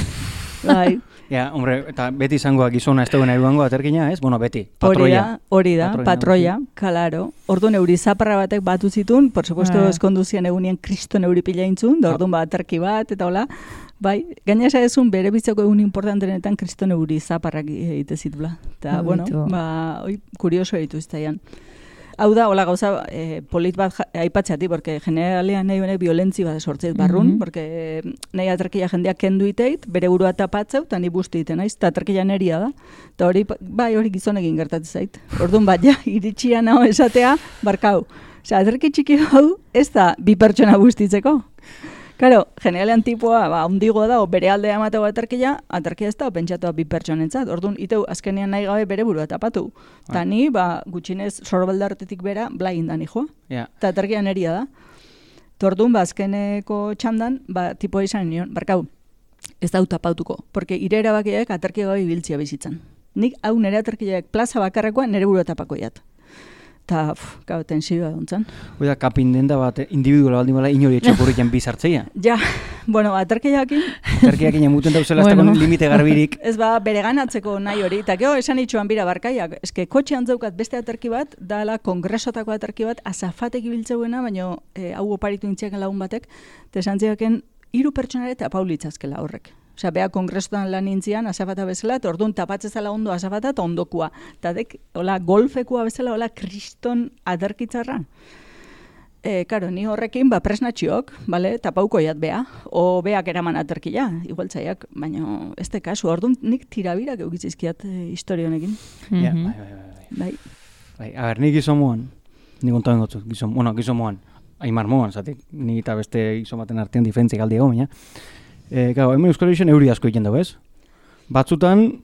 Bai, Ja, hombre, eta beti izangoa gizona ez dagoen eruango aterkina, ez? Bueno, beti, hori patroia. da, hori da, Patroia, patroia, kalaro. Orduan euri zaparra batek batu zitun, por supuesto Ah. eskonduzian egunien kriston euri pila intzun, da orduan bat aterki bat, eta hola. Bai, gaina esan bere bitzako egun importantenetan kriston euri zaparrak egite zitula. Eta, Ah, bueno, beitu. ba, oi, kurioso ditu iztaian. Hau da, hola gauza, eh, polit bat ja- aipatzeati, porque generalean nahi honek violentzi bat sortzeit barrun, Mhm. porque nahi aterkia jendeak kendu iteit, bere burua tapatzeu, eta ni busti iten naiz, eta aterkia neria da. Eta hori, bai, hori gizonekin gertatzen zait. Orduan bat, ja, iritsia naho esatea, barkau. Osea, aterki txiki hau, ez da bi pertsona bustitzeko. Karo, generalean tipua, ba, ondigoa da, o bere aldea emateko aterkia, aterkia ez da, pentsatua bi pertsonentzat. Orduan, iteu, azkenean nahi gabe bere burua tapatu. Ta ni, ba, gutxinez, sorbaldartetik bera, blain da nijoa. Ja. Ta aterkia neria da. Tordun, ba, azkeneko txandan, ba, tipua izan nion, barkau, ez da tapatuko, porque ire erabakiak aterkia gabe ibiltzia bizitzan. Nik hau nire aterkiak plaza bakarrekoa nire burua tapako jat. Ta, pff, gau, tensioa duntzen. Oida, kapindenda bat, individuala baldin bala, inori etxokurriken bizartzeia. Ja, bueno, aterkiakin, Aterkiakin emuten dauzela ez Bueno. dago limite garbirik. ez ba, bere ganatzeko nahi hori. Eta gero, esan itxuan bira barkaiak. Eske, kotxean zeukat beste aterki bat, dala kongresotako aterki bat, azafatek ibiltzeuena, baina e, hau oparitu intziaken lagun batek, eta esan ziaken, hiru pertsonare eta paulitzazkela horrek. Osea, bea kongresotan lan intzian, azafata bezala, eta orduan tapatzezala ondo azafata eta ondokua. Eta dek, hola, golfekua bezala, hola, kriston aterkitzarra. E, karo, ni horrekin, ba, presnatxiok, bale, tapauko jat bea, o beak eraman aterkia, igual zaiak, baina ez de kasu, orduan nik tirabirak eukizizkiat e, historia honekin. Ja, Mhm. bai, bai, bai, bai. Bai, Bai, a ber, ni gizon moan, ni kontaben gotzu, gizon, bueno, gizon moan, aimar moan, zatik, ni eta beste gizon baten artean diferentzik aldi ego, baina. E, gau, hemen Euskal Herrixen euri asko egin dugu, ez? Batzutan,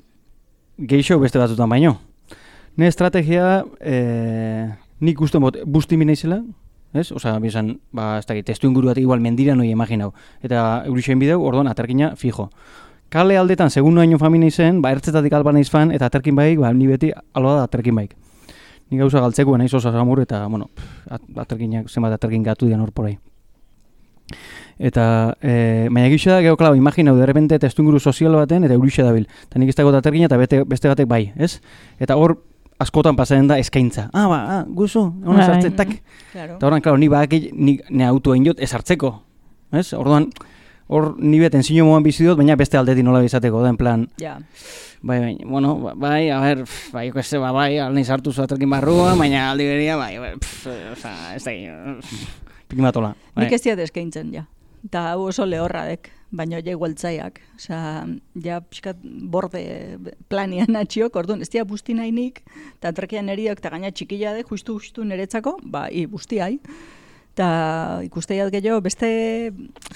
geixo beste batzutan baino. Ne estrategia, e, nik uste bot, busti minaizela, ez? Osa, bizan, ba, ez dakit, testu inguru bat igual mendira noi imaginau. Eta eurixen bideu, orduan, aterkina fijo. Kale aldetan, segun noaino famina izen, ba, ertzetatik alba naiz fan, eta aterkin baik, ba, ni beti alba da aterkin baik. Ni gauza galtzeko naiz oso samur, eta, bueno, pff, aterkinak, zenbat aterkin gatu dian hor porai. Eta, e, baina gixo da, gero, klau, imaginau, de repente testuinguru sozial baten, eta eurixe dabil. Eta nik ez dago aterkina, eta bete, beste batek bai, ez? Eta hor, askotan pasaren da eskaintza. Ah, ba, ah, guzu, hona Bai. sartzen, tak. claro. Eta horren, klaro, ni badaki, ni, ni autoa inot ez hartzeko. Ez? Orduan, hor ni beten zino moan bizi dut, baina beste aldetik nola bizateko, da, en plan, Ja, bai, bai, bueno, ba- bai, a ber, pff, bai, jo, ez, ba, bai, alnei sartu zuaterkin barrua, baina aldi beria, bai, bai, pff, oza, ez da, pikimatola. Bai. nik ez diat eskaintzen, ja. Eta hau oso lehorradek, baina ja igualtzaiak. Osea, ja pixkat borde planian atxiok, orduan, ez dia busti nahi nik, eta aterkian eriak, eta gaina txikila de, justu-justu niretzako, ba, i, busti hai. Eta ikusteiat gehiago, beste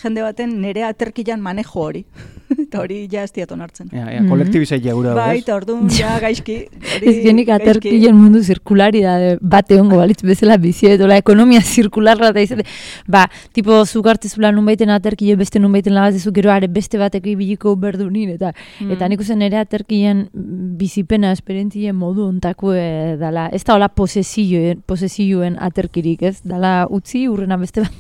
jende baten nire aterkian manejo hori. Eta hori ja ez diat onartzen. Ja, ja, kolektibizaitea gura dago, Bai, ez? eta orduan, ja, gaizki. hori Ez genik gaizki. aterkien mundu zirkularidade bat egongo balitz bezala biziet, ola ekonomia zirkularra da izate. Ba, tipo, zuk hartzezula nunbaiten aterkile beste nunbaiten lagazezu, gero are beste batek ibiliko berdunin, eta Mm. eta nik uzen ere aterkien bizipena esperientzien modu ontako e, dala. Ez da hola posesioen, posesioen aterkirik, ez? Dala utzi urrena beste bat.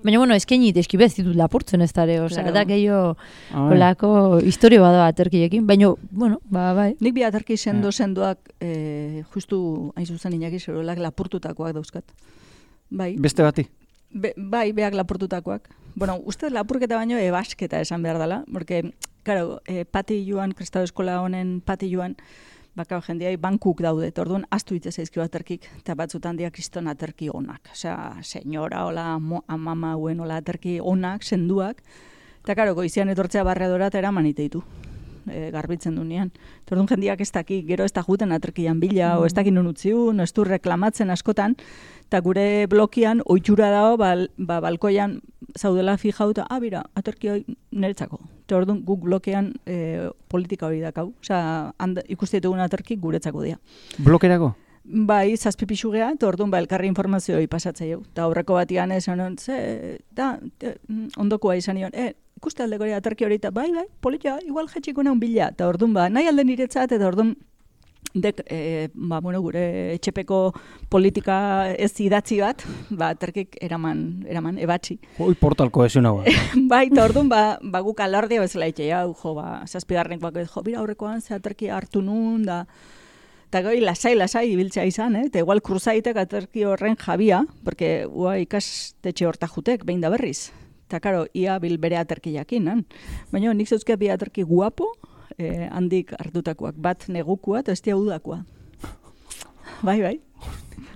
Baina, bueno, eskenit, eskibez ditut lapurtzen ez dare, osea, Claro. da gehiago Ah, bai. holako historio bada aterkiekin, baina, bueno, ba, bai. Nik bi aterki sendo sendoak eh, justu hain zuzen inaki zerolak lapurtutakoak dauzkat. Bai, Beste bati. be, bai, beak lapurtutakoak. Bueno, uste lapurketa baino ebasketa esan behar dela, porque, claro, eh, pati joan, kristau eskola honen pati joan, baka jendeai bankuk daude, eta orduan astu hitz zaizkio aterkik, eta batzutan dia kriston aterki onak. Osea, senyora, hola, mo, amama hauen, hola, aterki onak, senduak, eta karo, goizian etortzea barredora eta eraman iteitu. E, garbitzen du nian. Eta orduan jendiak ez daki, gero ez da juten aterkian bila, o ez dakin nun utziun, o ez du reklamatzen askotan, eta gure blokian oitxura dago, bal, ba, balkoian zaudela fijauta, ah, bira, aterki hoi niretzako. Eta orduan guk blokean e, politika hori dakau. Osea, handa- ikuste ditugun aterki guretzako dira. Blokerako? Bai, zazpipixu geha, eta orduan ba, elkarri informazioi pasatzei hau. Eta aurreko batian esan hon, ze, da, te, mm, ondokoa izan nion, e, ikuste aldeko hori aterki hori, eta bai, bai, politia, igual jetxiko naun bila. Eta orduan, ba, nahi alde niretzat, eta orduan, dek, e, ba, bueno, gure etxepeko politika ez idatzi bat, ba, aterkik eraman, eraman, ebatzi. Hoi portal kohesionau. Bai, eta orduan, ba, ba guk alardia bezala itxe, hau, jo, ba, zazpigarrenek bako, jo, bira aurrekoan ze aterki hartu nun, da, eta goi, lasai, lasai, ibiltzea izan, eh? Eta igual kruzaitek aterki horren jabia, porque ua ikastetxe horta jutek, behin da berriz. Eta, karo, ia bil bere aterki jakin, baina nik zeuzke bi aterki guapo, eh, handik hartutakoak, bat negukua eta ez dia udakoa. Bai, bai.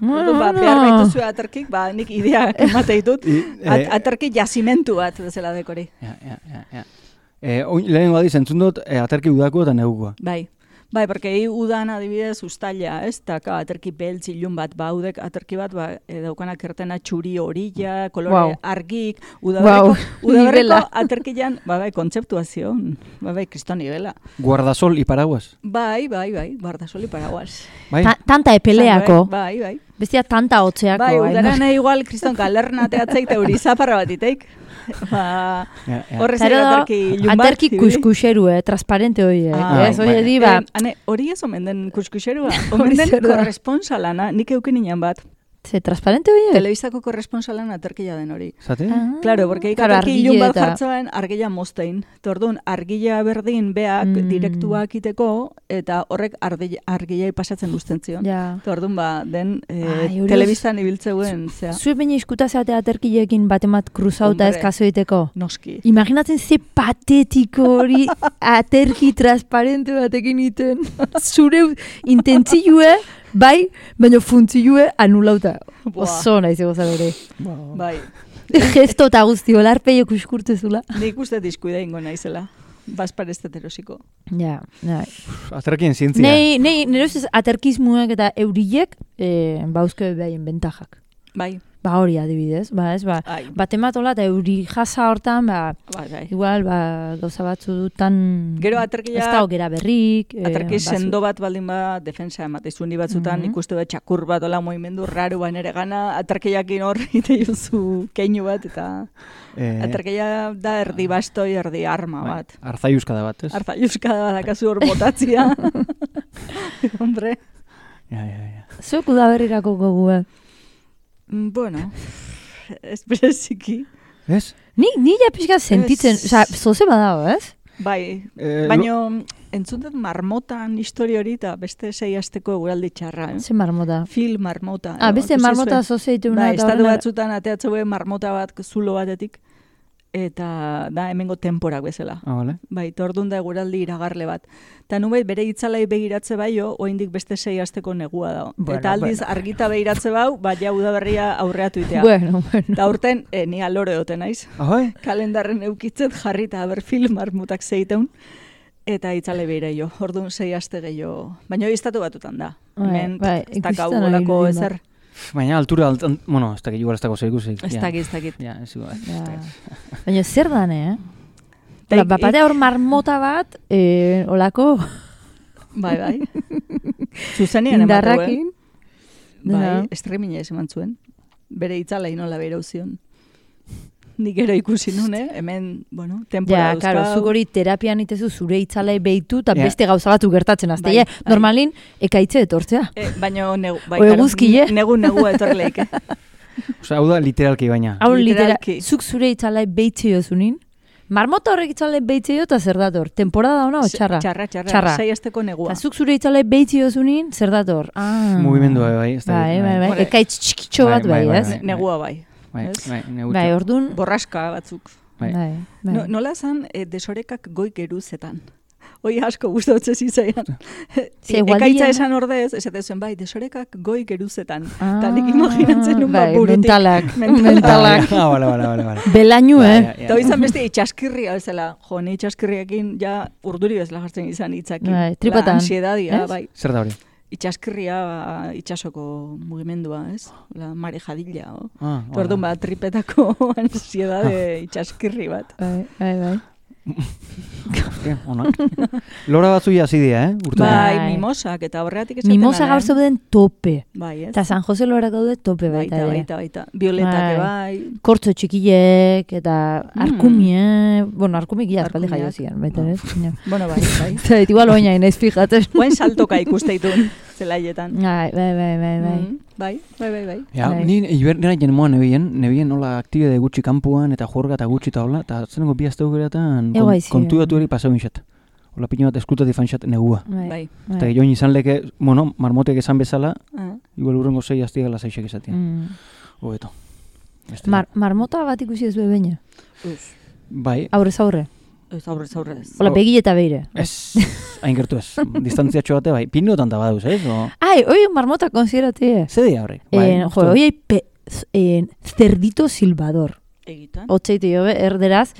Orduan, ba, behar baituzu aterkik, ba, nik idea emate ditut, at, aterki jazimentu bat bezala dekori. Ja, ja, ja, ja. E, oin, lehenengo adiz, entzun dut, e, aterki udako eta negukoa. Bai. Bai, porque hi udan adibidez ustaila, ez? Taka aterki beltz ilun bat baudek, aterki bat ba, e, daukanak ertena txuri horilla, kolore Wow. argik, udaberriko, Wow. udaberriko Nivela. aterkian, ba, bai, kontzeptua zion, ba, bai, kriston nivela. Guardasol y paraguas. Bai, bai, bai, guardasol y paraguas. Bai? Ta, tanta epeleako. Bai, bai. Bestia tanta hotzeako. Bai, bai, udaran igual kriston galerna teatzeik eta euri zaparra bat iteik. Ba, Ja, ja. horrez Zero ere da, aterki ilun bat. aterki ibili. kuskuxeru, eh, transparente horiek. Ah, ez, bai, hori bai. di, ba, Eh, ane, hori ez omen den kuskuxerua, Hori omen den zer da? korresponsalana, nik euken inan bat. ze transparente horiek? Telebistako korresponsalan aterkia den hori. Zate? Ah, Claro, porque ik claro, aterki argile ilun bat eta- jartzoen argila moztein. Tordun, argila berdin beak Mm. direktuak iteko, eta horrek ardi- argilai pasatzen guzten zion. Ja. Tordun, ba, den eh, Ai, hori telebistan ibiltzeuen, zea, Zue baina iskuta zeate aterkileekin batemat kruzauta ez Hombre. kaso egiteko. noski. Imaginatzen ze patetiko hori aterki transparente batekin iten. Zure intentzioe, bai, baina funtzioe anulauta. Buah. Oso nahi zego hori. Bai, Gesto eta guzti, olarpeio kuskurtezula. nik uste diskuida ingo naizela. Bazpareztet erosiko. Ja, ja. Aterkien zientzia. Nei, nei, nire ustez aterkismuek eta eurilek eh, bauzke behaien bentajak. Bai, Ba hori adibidez, ba ez, ba, ai, batematola eta euri jasa hortan, ba, bai, bai. igual, ba, gauza batzu dutan... Gero aterkia- Ez da gera berrik... eh, Aterki bazu- sendo bat baldin ba defensa ematezu ni batzutan Mhm. ikuste da txakur bat ola movimendu raro ba nere gana aterkiakin hor ite juzu keinu bat eta Eh, aterkia da erdi bastoi erdi arma bai, bat. Arzaiuskada bat, ez? Arzaiuskada dakazu hor botatzia. Hombre, Ja, ja, ja. Zuek udaberrirako gogue. mm, bueno, ez bereziki. Ez? Ni, ni ja pixka sentitzen, Ez. oza, zoze badago, ez? Bai, Eh, baino entzuntet marmotan histori hori eta beste sei asteko eguraldi txarra. Eh? Ze marmota. Fil marmota. Ah, edo, beste ikusi marmota zuen? zoze dituna. Bai, eta estatu horren- batzutan ateatzeu marmota bat zulo batetik, eta da hemengo temporak bezala. Ah, vale. Bai, tordun da eguraldi iragarle bat. Ta nubait bere itzalai begiratze baio, oraindik beste sei asteko negua dago. Bueno, eta aldiz bueno. argita begiratze bau, ba ja udaberria aurreatu itea. Bueno, bueno. Eta urten, e, ni alore dote naiz. Ah, bai? Kalendarren eukitzet jarrita aber film marmutak zeiteun. Eta itzale beira jo, orduan sei aste gehiago. Baina hori estatu batutan da. Bai, Hemen, bai, ez dakau ikusten ari olako direla. ezer. Baina altura, alt, ant- bueno, ez dakit, igual ez dago zer ikusi. Ez ja. dakit, ez dakit. Ja, ez igual. Ja. Baina zer dane, eh? Ta Ola, ik- bapatea hor marmota bat, eh, olako Bai, bai. Zuzenean emateu, eh? indarrakin. Bai, Ja. streamingez eman zuen. Bere itzalei nola bera uzion. Nik gero ikusi nun, eh? Hemen, bueno, tempora Ja, dauzkau. claro, zuk hori terapian itezu zure itzalei behitu eta Ja. beste gauza batu gertatzen azte. Bai, Bai, bai. Normalin, ekaitze etortzea. Eh, baina negu, bai, O claro, eguzkile. negu negua etorleik, eh? Osea, hau da literalki baina. Hau litera, Literalki. zuk zure itzalei behitze jozunin. Marmota horrek itzalei behitze jo eta zer dator? Temporada ona o txarra? Txarra, txarra. Txarra. Sei asteko negua. Eta zuk zure itzalei behitze jozunin, zer dator? Ah. Mugimendua, bai, ez dakit, Bai, bai, bai. Bueno, Ekaitz txikitxo bai, bat bai, bai, bai, ez? bai. Negua bai. Bai, Ez? bai, negutxo. Bai, ordun, Borraska batzuk. Bai. bai, bai. No, nola zan, e, desorekak goi geruzetan. Hoi asko gustatzen zitzaian. Ze, Ekaitza gualdian- esan ordez, ez zuen bai, desorekak goi geruzetan. Ah, Eta nik imaginatzen nun ba bai, burutik. mentalak, Mentalak. mentalak. Ah, bale, bale, bale, bale. Belainu, Bai, eh? ja, ja. Eta hori izan beste itxaskirria bezala. Jo, ni itxaskirriakin ja urduri bezala jartzen izan hitzakin. Bai, tripatan, La ansiedadia, ez? bai. Zer da hori? Itxaskirria ba, itxasoko mugimendua, ez? La marejadilla, o. Ah, Eta orduan ba, tripetako ansiedade itxaskirri bat. Bai, bai, bai. Hostia, onak. Lora batzu jasi dira, eh? Urte. Bai, Bai. mimosak, eta horregatik esaten Mimosa ala, gaur eh? zeuden tope. Bai, ez? Eta San Jose lorak daude tope baita Baita, ere. baita, baita. Violetak Bai. bai. Kortzo txikilek, eta Mm. arkumie, bueno, arkumik ia aspaldi Arkumiak. jaio zian, baita ere. baina- Bueno, bai, bai. Eta igual oina inaiz fijatzen. Guen saltoka ikuste ditun, zelaietan. Bai, bai, bai, bai, bai. Mm, bai, bai, bai, bai. Ja, Bai. ni ibernera jenemoa nebien, nebien nola aktibide gutxi kanpuan eta juerga eta gutxi eta hola, eta zenengo bi azteu geratan Ego aizi, kontuatu eh. hori pasau inxat. Hola pino bat esklutatik fanxat negua. Bai, Bai. Eta join izan leke, bueno, marmotek esan bezala, Ah. igual urrengo zei aztiagala zaixek esatia. Mm. Hobeto. Beste. Mar marmota bat ikusi ez beina. Uz. Bai, Aurrez aurre. Ez aurrez aurrez. Hola, Oh. begi eta beire. ez, hain gertu ez. Distantziatxo bate bai, pinotan da baduz, ez? O... Ai, hoi marmota konsiderate. Zer dira horrek? Eh, jo, hoi pe, z- eh, cerdito silbador. Egitan. Otzeite jo, be, erderaz,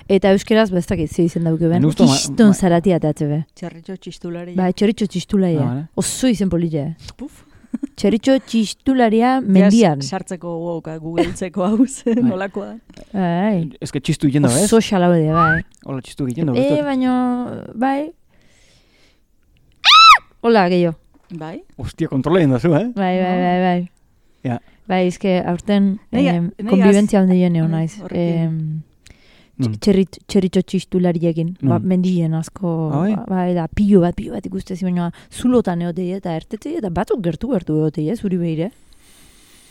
eta euskeraz bestakit ze izen dauke ben. Ni uste ma- Kiston ma- zaratia atatze be. Txarritxo txistularia. Ba, txoritxo txistularia. Ah, vale. Oso izen polite. Puf. Txoritxo txistularia mendian. Ja, sartzeko gogoka, googlezeko hau zen, Bai. nolakoa da. Bai. Ez que txistu egiten dago, ez? Oso xalaude, bai. Hola, txistu egiten dago, E, ez? baino, bai. Hola, gehiago. Bai? Hostia, kontrola egin dazu, eh? Bai, bai, bai, bai. Ja. Bai, izke, aurten Nei- eh, nei konbibentzia az- handi neo Bai, naiz. horrekin. Nun. Txerrit, txerritxo txistulariekin, ba, Nun. mendien asko, Ah, bai? bai, da, pilo bat, pilo bat ikustezi, baina zulotan eotei eta ertetei, eta batzuk gertu-gertu eotei, ez, zuri behire.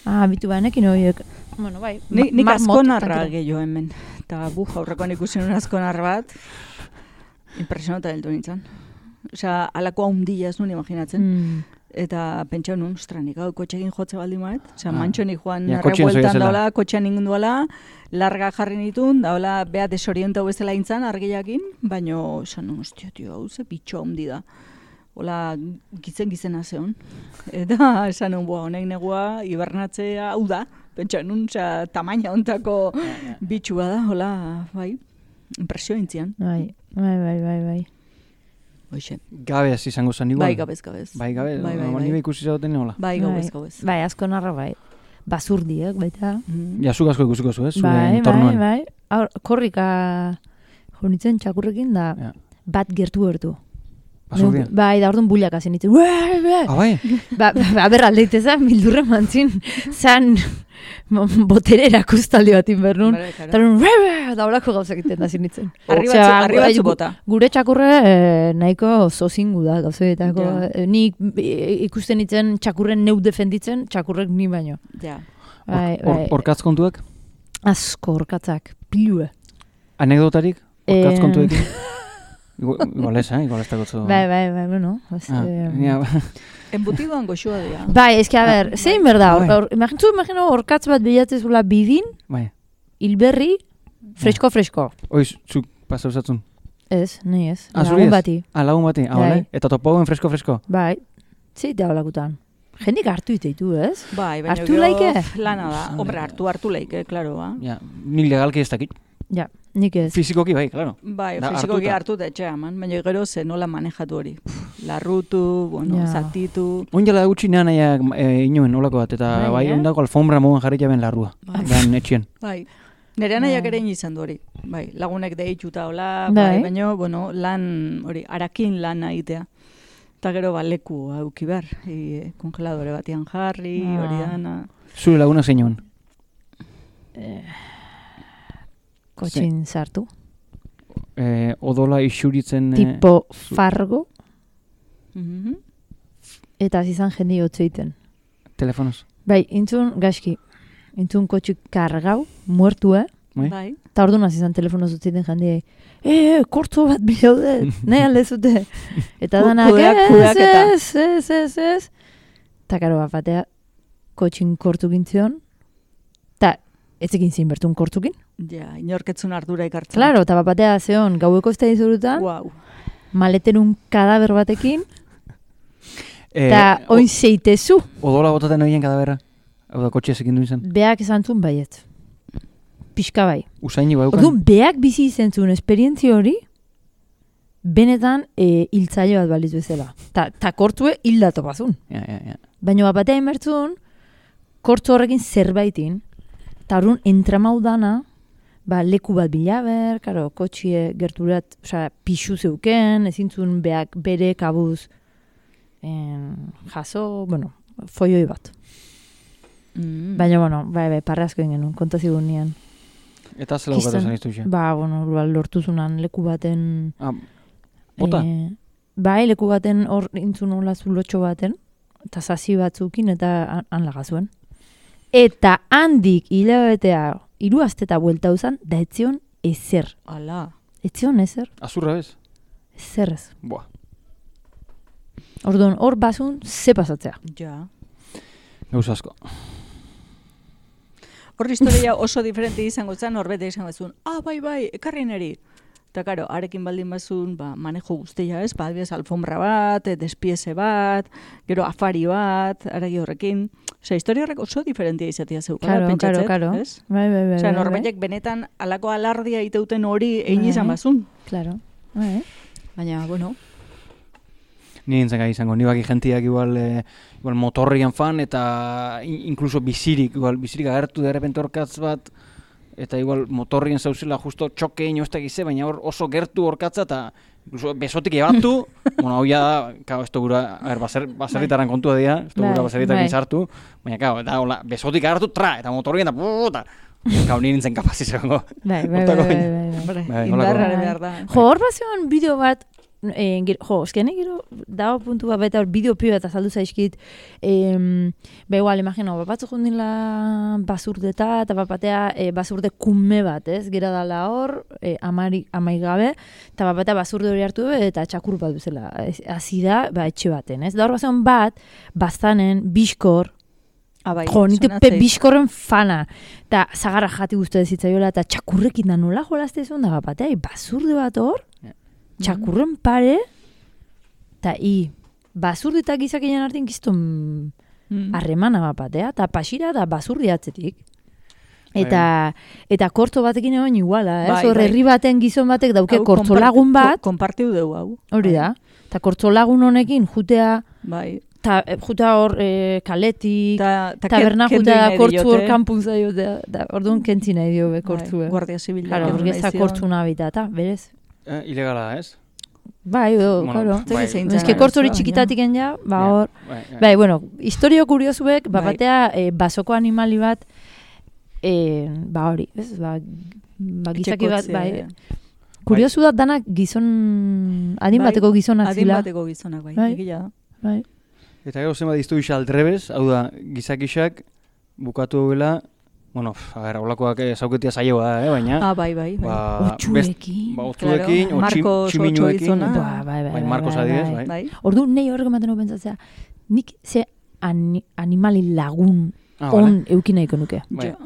Ah, bitu banekin horiek, bueno, bai, Ni, nik marmot, azkonarra tranquilo. gehiago hemen. Eta bu, aurrekoan ikusi nuen azkonar bat, impresionota heldu nintzen. Osea, alakoa hundila ez nuen imaginatzen. Mm. Eta pentsa nuen, ostra, nik hau kotxekin jotze baldin maet. Osea, Ah. mantxonik joan Ja, ja, kotxean arrebueltan zoia zela. daula, kotxean ingun duela, larga jarri nitun, daula beha desorientau bezala intzan argiakin, baino, esan nuen, ostia, tio, hau ze bitxo handi da. Hola, gitzen gizena zeon. Eta esan nuen, boa, honek negua, hibernatzea, hau da. Pentsa nuen, osea, tamaina ontako bitxua da, hola, bai, impresio intzian. Bai, bai, bai, bai, bai. Hoxe, Gabez izango zen igual. bai gabez, gabez. Bai, gabe, bai, bai, bai, bai. bai. ikusi zauten nola. Bai, gabez, gabez. Bai, asko narra, bai. Basurdiek, baita. Mm. Ja, zuk asko ikusiko zu, ez? Zure Bai, bai, entornoan. bai. Aur, korrika jonitzen txakurrekin da Ja. bat gertu-gertu. Basurdian. Bai, da orduan buliak hazen ditzen. Ue, ue. Ah, bai? Ba, ba, berra aldeiteza, mildurre mantzin, zan botere erakustaldi bat inbernun. Bai, claro. Eta orduan, ue, ue, da holako gauzak iten da zinitzen. Arri Osea, batzu, arri batzu gu- bota. Gure txakurre eh, nahiko zozingu da, gauzetako. Ja. Eh, Nik eh, ikusten nitzen txakurren neu defenditzen, txakurrek ni baino. Ja. Bai, Or- bai. Orkatz kontuak? Asko orkatzak, pilue. Anekdotarik? Orkatz Eh, kontuekin? Igual igual ez, eh? Igual ez dago Bai, bai, bai, bueno. Ez, Ah, eh, ja, Embutidoan goxua dira. Bai, eski, a ber, zein berda, Bai. or, imagintzu, imagino, orkatz bat bilatzezula bidin, bai. hilberri, fresko-fresko. Oiz, zuk pasa usatzun. Ez, nahi ez, Ah, zuri lagun ez? bati. Ah, lagun bati, ah, Bai. bale? Eta topauen fresko-fresko? Bai, zeitea holakutan. Jendik hartu iteitu, ez? Bai, baina Hartu gero laike? lana da. Hombre, hartu hartu laike, klaro, ba. Ja, ni legalki ez dakit. Ja, nik ez. Fizikoki bai, claro. Bai, Da, fizikoki hartuta. hartu da etxea eman, baina gero ze nola manejatu hori. Pff, larrutu, bueno, Ja. zatitu. Oin jala gutxi nean nahiak e, inoen olako bat, eta Bai, bai, eh? ondako alfombra mogan jarri jaben larrua. Bai. Dan etxien. Bai. Nere anaiak ere izan du hori. Bai, lagunek deituta hola, Bai. bai, baina, bueno, lan, hori, arakin lan egitea. Eta gero, ba, leku auki behar. E, kongeladore batian jarri, Ah. hori dana. Zure laguna zein joan? Kotxin sartu. E, odola isuritzen... e, Tipo fargo, Mhm. eta zizan jendi hotzeiten. telefonoz. Bai, intzun, gaizki, intzun kotxik kargau, muertu, eh? Bai? Bai. Eta orduan hasi izan telefono zutzeiten jendiei. E, e, kortzo bat bilaude, nahi alde zute. Eta Ku- danak, kudeak- ez, kudeaketa. ez, ez, ez, ez. Eta karo bat batea, kotxin kortu gintzion. Eta ez egin zin bertun kortukin. Ja, inorketzun ardura ikartzen. Claro, eta bat batea zeon, gaueko ez da izurutan, Wow. maleterun kadaber batekin, E, eta o- oin zeitezu. Odola botaten horien kadaberra? Hau da, kotxe ezekin duen zen. Beak esan zuen baiet. Pixka bai. Usaini baukan. Orduan, beak bizi izen zuen esperientzia hori, benetan e, hiltzaile bat baliz bezala. Ta, ta kortzue hildatu bazun. Ja, ja, ja. Baina bat batea inbertzun, kortzo horrekin zerbaitin, eta orduan entramau dana, ba, leku bat bilaber, karo, kotxie gerturat, osea, pixu zeuken, ezin zuen beak bere kabuz en, jaso, bueno, foioi bat. Mm. Baina, bueno, bai, bai, parre asko ingen, kontazigun nian. Eta zela bukatu Kiston- zen iztu xe. Ba, bueno, ba, lortu zunan leku baten... Ah, bota? Eh, bai, leku baten hor intzun hola zulotxo baten, eta zazi batzukin eta han- han lagazuen. Eta handik hilabetea hiru asteta buelta uzan, da etzion ezer. Ala. Etzion ezer, Azurra bez? ezer ez. Buah. Orduan, hor bazun, ze pasatzea. Ja. Gauz asko. Hor historia oso diferente izango zen, horbete izango zuen, ah, bai, bai, ekarri neri. Eta, karo, arekin baldin bazun, ba, manejo guztia, ez? Ba, adibidez, alfombra bat, despiese bat, gero afari bat, aragi horrekin. Osea, historia horrek oso diferentia izatea zeukala, Claro, pentsatzet, claro, claro. ez? Bai, bai, bai. Osea, bai, bai. norbaitek benetan alako alardia iteuten hori egin Bai. izan bazun. Claro. Bai. Baina, bueno, Ni nintzen gai izango, ni baki jentiak igual, eh, igual motorrian fan eta in- incluso bizirik, igual bizirik agertu de repente orkatz bat, eta igual motorrien zauzela justo txoke ino ez dakize, baina hor oso gertu orkatza eta incluso besotik ebatu, bueno, hau ja da, kao, ez gura, a ber, baser, baserritaran kontua dira, ez Bai, gura baserritakin bai. sartu, baina kao, eta hola, besotik agertu, tra, eta motorrien da, puta, kao, ni nintzen kapaz izango. Bai, bai, bai, Hortako- bai, bai, bai. hombre, Bai, indarra holako- behar da. Jo, hor bazioan bideo bat, eh, gero, jo, eskenek gero, dago puntu bat, baita hor bideo pio bat azaldu zaizkit, eh, be igual, imagino, bat batzuk jundila basurdeta, eta bat batea eh, basurde kume bat, ez? Gera dala hor, eh, amari, amaigabe, eta bat batea basurde hori hartu be, eta txakur bat duzela, hasi da, ba, etxe baten, ez? Da hor bazioan bat, bazanen, biskor, Ah, bai, jo, nite sonatzeit. pe biskorren fana, eta zagarra jati guztu zitzaiola, eta txakurrekin da nola jolazte zuen, da bat batea, i basurde bat hor, txakurren pare, eta i, basurde eta gizakien artean gizton Mm. harremana bat batea, eta pasira da basurdi atzetik. Eta, eta kortzo batekin egon iguala, ez? Bai, Hor bai. herri baten gizon batek dauke Hau kortzo konpart- lagun bat, ko- konpartiu dugu hau. hori da, eta kortzo lagun honekin jutea, Bai. ta, eh, jutea hor eh, kaletik, Ta, ta taberna kendu jutea da nahi kortzu hor diote. kanpun zaio, da, da, orduan kentzi nahi dio be kortzu, Bai, eh. Guardia Zibila. Claro, kendu porque nahi ez da zion. kortzu habitata, berez. Eh, ilegala da, ez? Bai, edo, Bueno, claro. bai. zein Ez zen que kortzu hori arazoa, txikitatik ja, ba Ja, hor, bai, bai. bai, bueno, historio kuriosuek, ba Bai. batea, eh, basoko animali bat, eh, ba hori, ez, ba, ba gizaki bat, Etxekotzea, bai, eh. kuriosu da danak gizon, adin Bai, bateko gizonak Adin zila. bateko gizonak, bai. Bai. egia da. Bai. Eta gero zenbat diztu isa aldrebez, hau da, gizakixak bukatu duela, bueno, pf, a ber, aulakoak zauketia saioa da, eh, baina, Ah, bai, bai. bai. ba, Otxuekin. ba, otzuekin, Claro, o txim, Marcos tximinuekin, Otxo gizona. Ba, bai, bai, bai, bai, Marcos bai, adibidez, bai. bai. Bai. Ordu nahi horrek ematen hau pentsatzea, nik ze ani, animali lagun Ah, on eukin nahiko nuke. Bai. Jo.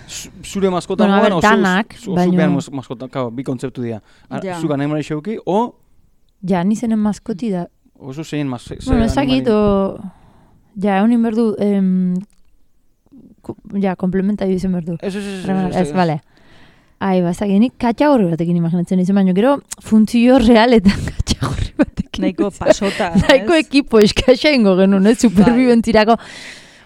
Zu- Zure maskota Bueno, a moan, ber, o zu- danak, zu- baino- zuk behar mas- maskota, kao, bi kontzeptu dira. Ar- Ja. Zuk animali xeuki, o, Ja, nizenen maskoti da. oso zein mas... ze Bueno, ez dakit, animali- o... Ja, egun berdu, em, ko- ja, komplementario izan berdu. Ez, ez, ez, Ez, ez, ez, bale. Ai, ba, ez dakit, nik katxagorri batekin imaginatzen izan, baina gero funtzio realetan katxagorri batekin. Nahiko pasota. Nahiko ez? ekipo eskaxa ingo genuen, ez, superbibentzirako.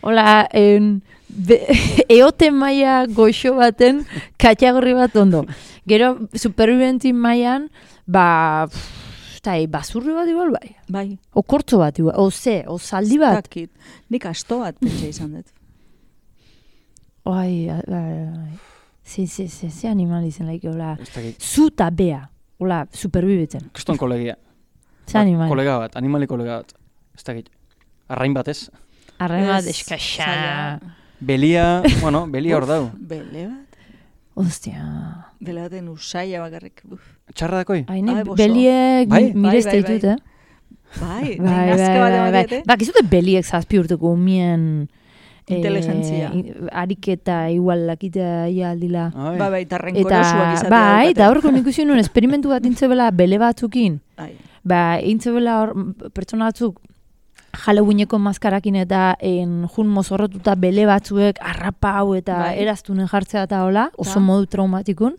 Hola, en, be, eote maia goxo baten katxagorri bat ondo. Gero, superbibentzi maian, ba, pff, eta, e, basurri bat igual bai. Bai. O kortzo bat igual, o ze, o zaldi bat. Dakit. Nik asto bat pentsa izan dut. Ai, ai, ai, ai. Ze, ze, ze, ze animal izan laik, hola, Ez dakit. zu eta bea, hola, superbibetzen. Kriston kolegia. Ze animal. Kolega bat, animali kolega bat. Ez dakit. Arrain bat ez. Arrain bat Ez, eskaxa. zaila. Belia, bueno, belia hor dau. Bele bat? Ostia. Bele baten usaila bakarrik. Uf. Txarra dakoi? Ai, nik Ai, boso. beliek Bai? mi- mirezte Bai, bai, ditut, bai. eh? Bai, Bai, nahi bai, nazka bat bai, bai. ematiete. Bak, izute beliek zazpi urteko umien... eh, Inteligentzia. i- ariketa igual lakitea ia aldila. Ai. Bai, bai, eta Eta, renkorosuak izatea bai, daukate. eta horko nik usi nuen esperimentu bat intzebela bele batzukin. Ai. Ba, intzebela hor m, pertsona batzuk Halloweeneko maskarakin eta en, jun mozorrotuta bele batzuek arrapau eta Bai. eraztunen jartzea eta hola, oso Ta. modu traumatikun.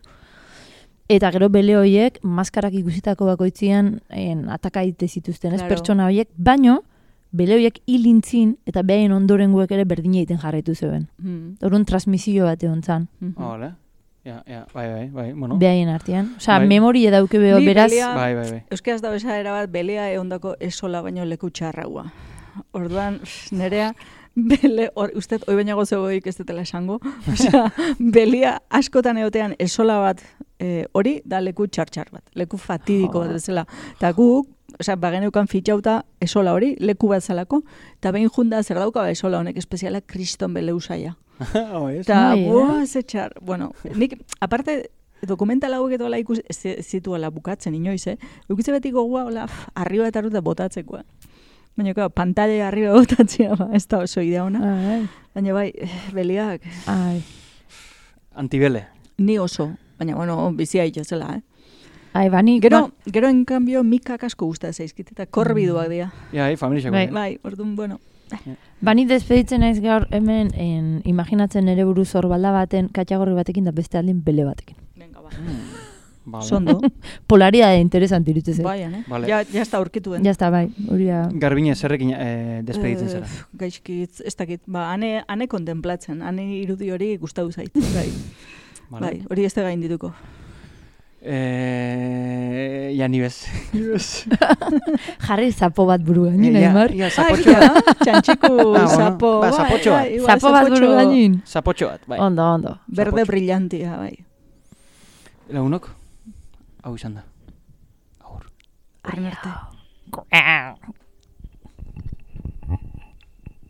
Eta gero bele horiek maskarak ikusitako bakoitzian en, atakaite zituzten, ez Claro. pertsona horiek, baino bele horiek hilintzin eta behaien ondorengoek ere berdina egiten jarraitu zeuden. Hmm. Orduan transmisio bat egon zan, Mhm. Ah, vale. Ja, ja, bai, bai, bai, bueno. behaien artean. Osea, Bai. memoria dauke beho, Ni beraz, belea- Bai, bai, bai. Euskaraz da bezala bat belea eondako esola baino leku txarraua. Orduan, pff, nerea, bele, or, usted, oi baina gozogoik ez dutela esango, osea, belia askotan egotean esola bat eh, hori da leku txar-txar bat, leku fatidiko bat bezala. Eta guk, osea, bageneukan fitxauta esola hori, leku bat zalako, eta behin junda zer dauka ba esola honek espeziala kriston bele usaia. Oh, ez? Eta, Bai, eh? buah, ze txar. Bueno, nik, aparte, dokumental hauek edo ala ikus, ez ez zituela bukatzen inoiz, eh? Eukitze beti gogoa, hola, pff, arriba eta arruta botatzekoa. Baina, claro, pantalla arriba botatzea, ba, ez da oso idea ona. ai, Baina, bai, eh, beliak, ai. Antibele. ni oso. Baina, bueno, bizia itxezela, eh? Ai, bani, Gero, gero en cambio, mikak asko gusta zaizkit, eta korbiduak dira. Ja, hai, familia Bai. xako. Bai, orduan, bueno. bani despeditzen naiz gaur hemen en, imaginatzen ere buruz orbalda baten, katxagorri batekin da beste aldin bele batekin. Venga, ba. Vale. Sondo. Polaridade interesante iruditzen. Bai, eh? Vale. Ja, ja está aurkituen. Ya está, bai. Hori da. Garbine, zerrekin eh, despeditzen zara? Eh, Gaizkit, ez dakit, ba, ane, ane kontemplatzen, ane irudi hori gustatu zait. Bai, Vale. bai, hori ez da gain dituko. Eh, ja, ni bez. Ni bez. Jarri zapo bat buruan, Eh, nina, ja, Aimar. ja, Ah, zapotxo ja, bat. txantxiku, Ah, bueno. sapo, Ba, zapotxo bat. bai, igual, Zapo bat zapotxo buruan nin. Zapotxo bat, bai. Ondo, ondo. Berde Zapotxo. brillantia, bai. Lagunok, hau izan da. Agur. Horren arte. Ai,